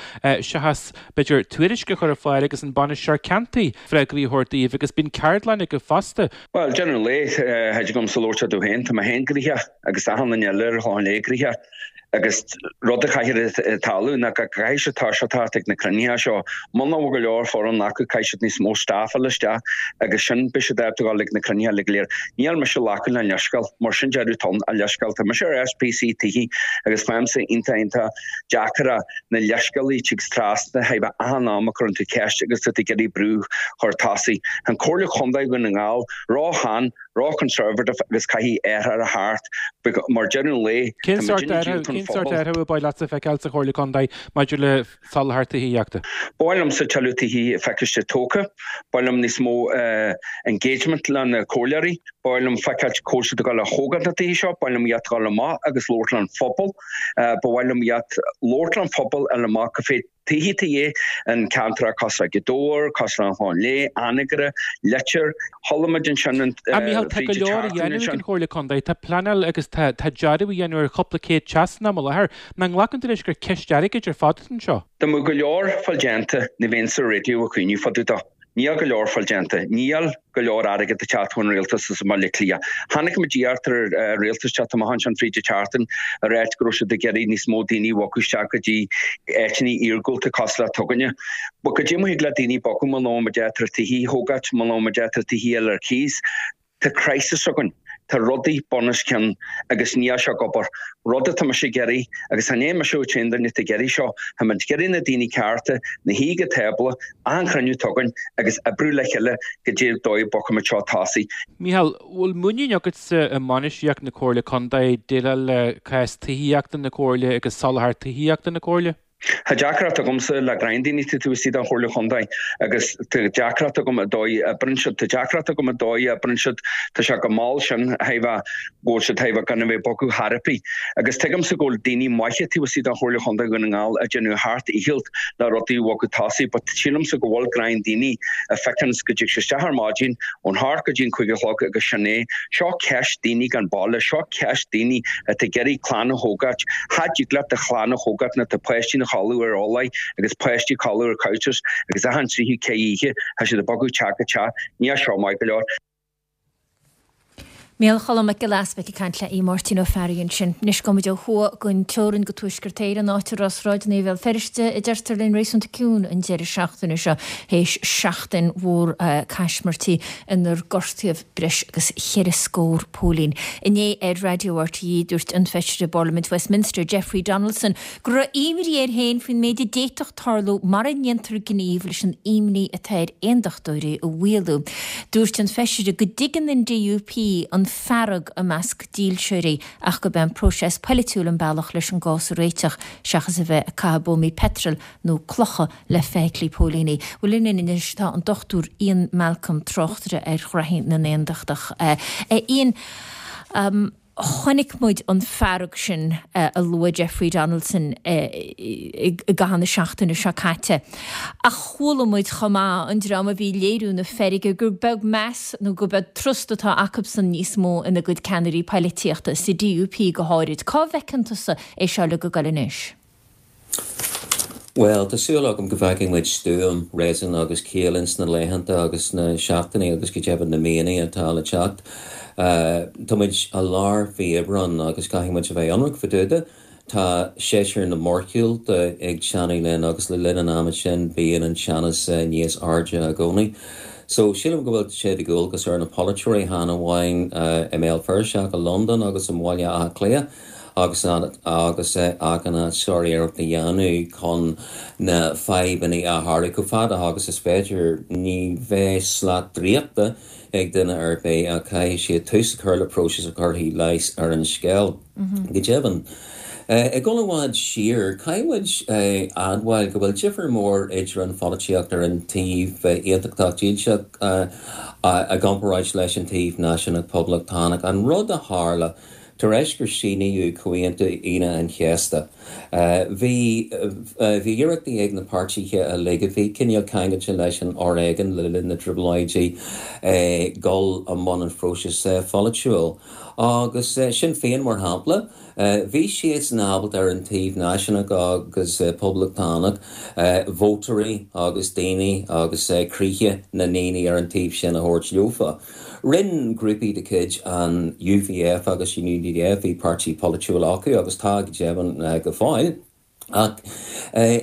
seachas b'fhéidir tuairisc a chur ar fáil agus an bainisteoir ceantair freagraí a thabhairt daoibh agus bíonn ceardlann acu fosta. Bhuel, deireadh an lae, thig liomsa labhairt fá dtaobh féin, tá mé féin gnoitheach agus achan duine eile ar an Chlochán Liath gnoitheach agus rud a chaithfear tarlú ná go gcaithfidh siad toiseacht teacht ag na cruinnithe seo. Muna bhfuil go leor foireann acu caithfidh siad níos mó staff a fháil isteach agus sin beidh siad ábalta dul ag na cruinnithe uilig go léir. Níl mise ag glacadh le leithscéal, mar sin deireadh tonn a leithscéal. Tá mise ar SPC tithí agus faighimse iontach iontach deacair é na leithscéalaí tig trasna thaobh achan am a cuireann tú ceist agus tá tú ag iarraidh brú chur tosaigh. An Comhairle Chontae Dhún na nGall, ró-shean, ró-conservative agus caithfidh athrú a theacht mar deireadh an lae Cén tá sórt muidinne athrú, díolta an cén sórt phobal. athrú a ba mhaith leatsa feiceáil sa Chomhairle Contae maidir le soláthar tithíochta? Ba mhaith liomsa tuilleadh tithí a feiceáilt tógtha. Ba mhaith liom níos mó engagement le na comhairleoirí. Ba mhaith liom feiceáilt cá bhfuil siad ag dul a thógáil na tithí seo. Ba mhaith liom iad a dhul amach agus labhairt leis an phobal. Ba mhaith liom iad labhairt leis an phobal fháil amach cad fé tithí atá de dhíth in ceantracha cosúil le Gaoth Dobhair, cosúil le An Clochán Liath, Anagaire, Leitir. Chuala muid ansin an A Mhícheáil, tá go fríd an leor a tseachtain dhéanamh ag ansin. an Chomhairle Contae. Tá pleanáil agus tá tá dearadh á dhéanamh ar chúpla céad teach san am i láthair. Nach nglacann tú leis gur ceist airgid ar fad atá anseo? Dá mbeadh go leor fáil déanta, ní bheinn sa raidió ag caoineadh fá dtaobh de. Níl go leor fáil déanta. Níl go leor airgead ag teacht ón rialtas as i mBaile Átha Cliath. Chonaic muid iarracht ar an rialtas teacht amach ansin fríd an tseachtain ag ráit go raibh siad ag iarraidh níos mó daoine a bhogadh isteach go dtí áiteanna iargúlta cosúil le t'againne. But goidé mar thig le daoine bogadh muna bhfuil muid ábalta tithí a thógáilt, muna bhfuil muid ábalta tithí a fháil ar cíos. Tá crisis againn. Tá rudaí bun os cionn agus níl sé ag obair. Rud atá mise ag iarraidh, agus chan é mise an t-aon duine atá ag iarraidh seo, tá muid ag iarraidh na daoine cearta ina shuí ag an tábla, achan chruinniú atá againn agus oibriú le chéile go dtí an dóigh a bhogfaidh muid seo tosaigh. Mícheál, bhfuil muinín agatsa i mbainistíocht na Comhairle Contae déileáil le cás tithíochta na Comhairle agus soláthar tithíochta na Comhairle? Tá deacracht agamsa le greim daoine atá taobh istigh den Chomhairle Chontae agus tá deacracht agam an dóigh a oibreann siad. Tá deacracht agam an dóigh a oibreann siad. Tá sé go mall sin thaobh a go bhfuil siad thaobh a gan a bheith ag bogadh chor ar bith. Agus tuigimse go bhfuil daoine maithe taobh istigh den Chomhairle Chontae Dhún na nGall ag déanamh a sheacht ndícheall le rudaí a bhogadh tosaigh but sílimse go bhfuil greim daoine a feiceanns go dtig siad isteach ar maidin ón hocht go dtí an 5 a chlog agus sin é. Seo ceist daoine gan baile, seo ceist daoine atá ag iarraidh clann a thógáilt. Cha dtig leat do chlann a thógáilt nuair tá páistí ina chodladh ar orláí agus páistí ag codladh ar couches agus achan tríú ceathrú oíche tá siad ag bogadh teach go teach. Níl seo maith go leor. Micheál Choilm Mac Giolla Easpaig ag caint le Aodh Máirtín Ó Fearraigh ansin. Anois gabhfaidh muid ó thuaidh den teorainn go Tuaisceart Éireann, áit a raibh sráideanna Bhéal Feirste, a deirtear linn, réasúnta ciúin an deireadh seachtaine seo, théis seachtain mhór caismirtí inar gortaíodh breis agus cheithre scór póilín. Inné ar Raidió RTÉ, dúirt an Feisire i bParlaimint Westminster, Jeffrey Donaldson, go raibh imní air féin faoin méid a d'fhéadfadh tarlú mara ndéantar gníomh leis an imní atá ar aondachtóirí a mhaolú. Dúirt an Feisire go dtuigeann an DUP an fearg i measc dílseoirí ach gurb é an próiseas polaitiúil an bealach leis an gcás a réiteach seachas a bheith ag caitheamh buamaí peitril nó clocha le feithiclí póilíní. Bhuel linn anois tá an Dr Ian Malcolm, tráchtaire ar ghraithí na nAondachtach. A Ian, chonaic muid an fearg sin a luaigh Jeffrey Donaldson i gcaitheamh na seachtaine seo caite. Ach chuala muid chomh maith an dream a bhí ag léiriú na feirge gur beag meas nó gur beag trust atá acubsan níos mó ina gcuid ceannairí poilitíochta, sa DUP go háirid. Cá bhfeiceann tusa é seo uilig ag goil anois? Bhuel, tá súil agam go bhfeicfidh muid stuaim, réasún agus ciall ins na laethanta agus na seachtainí agus go deimhin na míonna atá le teacht. Tá muid i lár mhí Aibreáin agus caithfidh muid a bheith ionraic fá dtaobh de. Tá séasúr na mórshiúlta ag teannadh linn agus le linn an ama sin bíonn an teannas níos airde i gcónaí. So, sílim go bhfuil sé de dhualgas ar na polaiteoirí, chan amháin i mBéal Feirste ach i Londain agus i mBaile Átha Cliath agus agus achan áit sár-iarracht a dhéanamh chun na fadhbanna a shárú chomh fada agus is féidir. Ní bheidh slat draíochta ag duine ar bith ach caithfidh siad tús a chur le próiseas a chuirfidh leigheas ar an scéal. Go deimhin, ag dul i bhfad siar, caithfidh muid a admháil go bhfuil difear mór idir an pholaitíocht ar an taobh aontachtach dílseach i gcomparáid leis an taobh náisiúnach poblachtánach. An rud a tharla tar éis gur síníodh Comhaontú Aoine an Chéasta, bhí bhí iarrachtaí ag na páirtithe uilig a bhí cineál ceangailte leis an fhoréigean le linn na dTrioblóidí dul i mbun an phróisis pholaitiúil. Agus Sinn Féin, mar shampla, bhí siadsan ábalta ar an taobh náisiúnach agus poblachtánach vótóirí agus daoine agus croíthe na ndaoine ar an taobh sin a thabhairt leofa. Rinne grúpaí de chuid an UVF agus an UDF, bhí páirtí polaitiúil acu agus tá go deimhin go fóill, Ach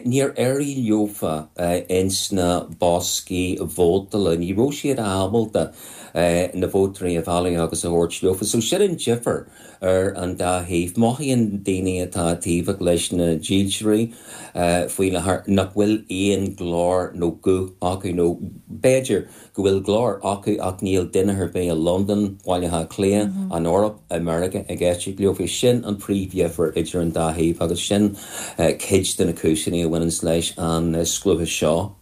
níor éirigh leofa ins na boscaí vótála, ní raibh siad ábalta na vótóirí a mhealladh agus a thabhairt leofa. So sin an difear ar an dá thaobh. Mothaíonn daoine atá taobhach leis na dílseoirí faoi láthair nach bhfuil aon ghlór nó guth acu, nó b'fhéidir go bhfuil glór acu ach níl duine ar bith i Londain, Baile Átha Cliath, an Eoraip, i Meiriceá ag éisteacht leofa. Sin an príomhdhifear idir an dá thaobh agus sin cuid de na cúiseanna a bhaineanns leis an scliúchas seo.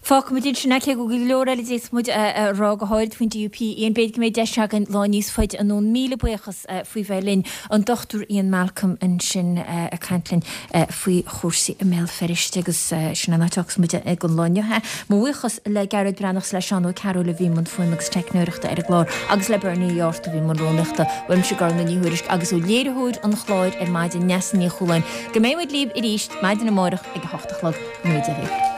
Fágfaimid ansin é, cé go bhfuil go leor eile a d'fhéadfadh muid a rá, go háirid faoin DUP. Ian, b'fhéidir go mbeidh deis againn lá níos faide anonn. Míle buíochas faoi bheith linn. An Dr Ian Malcolm ansin ag caint linn faoi chúrsaí i mBéal Feirste agus sin an áit a fhágfas muid ag an lá inniu é. Mo bhuíochas le Gearóid Breathnach is le Seán Ó Cearúil a bhí i mbun fuaime agus teicneoireachta ar an gclár agus le Bernie Ó Fhátharta a bhí i mbun rúnaíochta. Uaimse Gormfhlaith Ní Thuairisg agus ó léiritheoir an chláir ar maidin, Neasa Ní Chualáin. Go mbeidh muid libh arís maidin amárach ag a hocht a chlog. Go ngnóthaí Dia dhaoibh.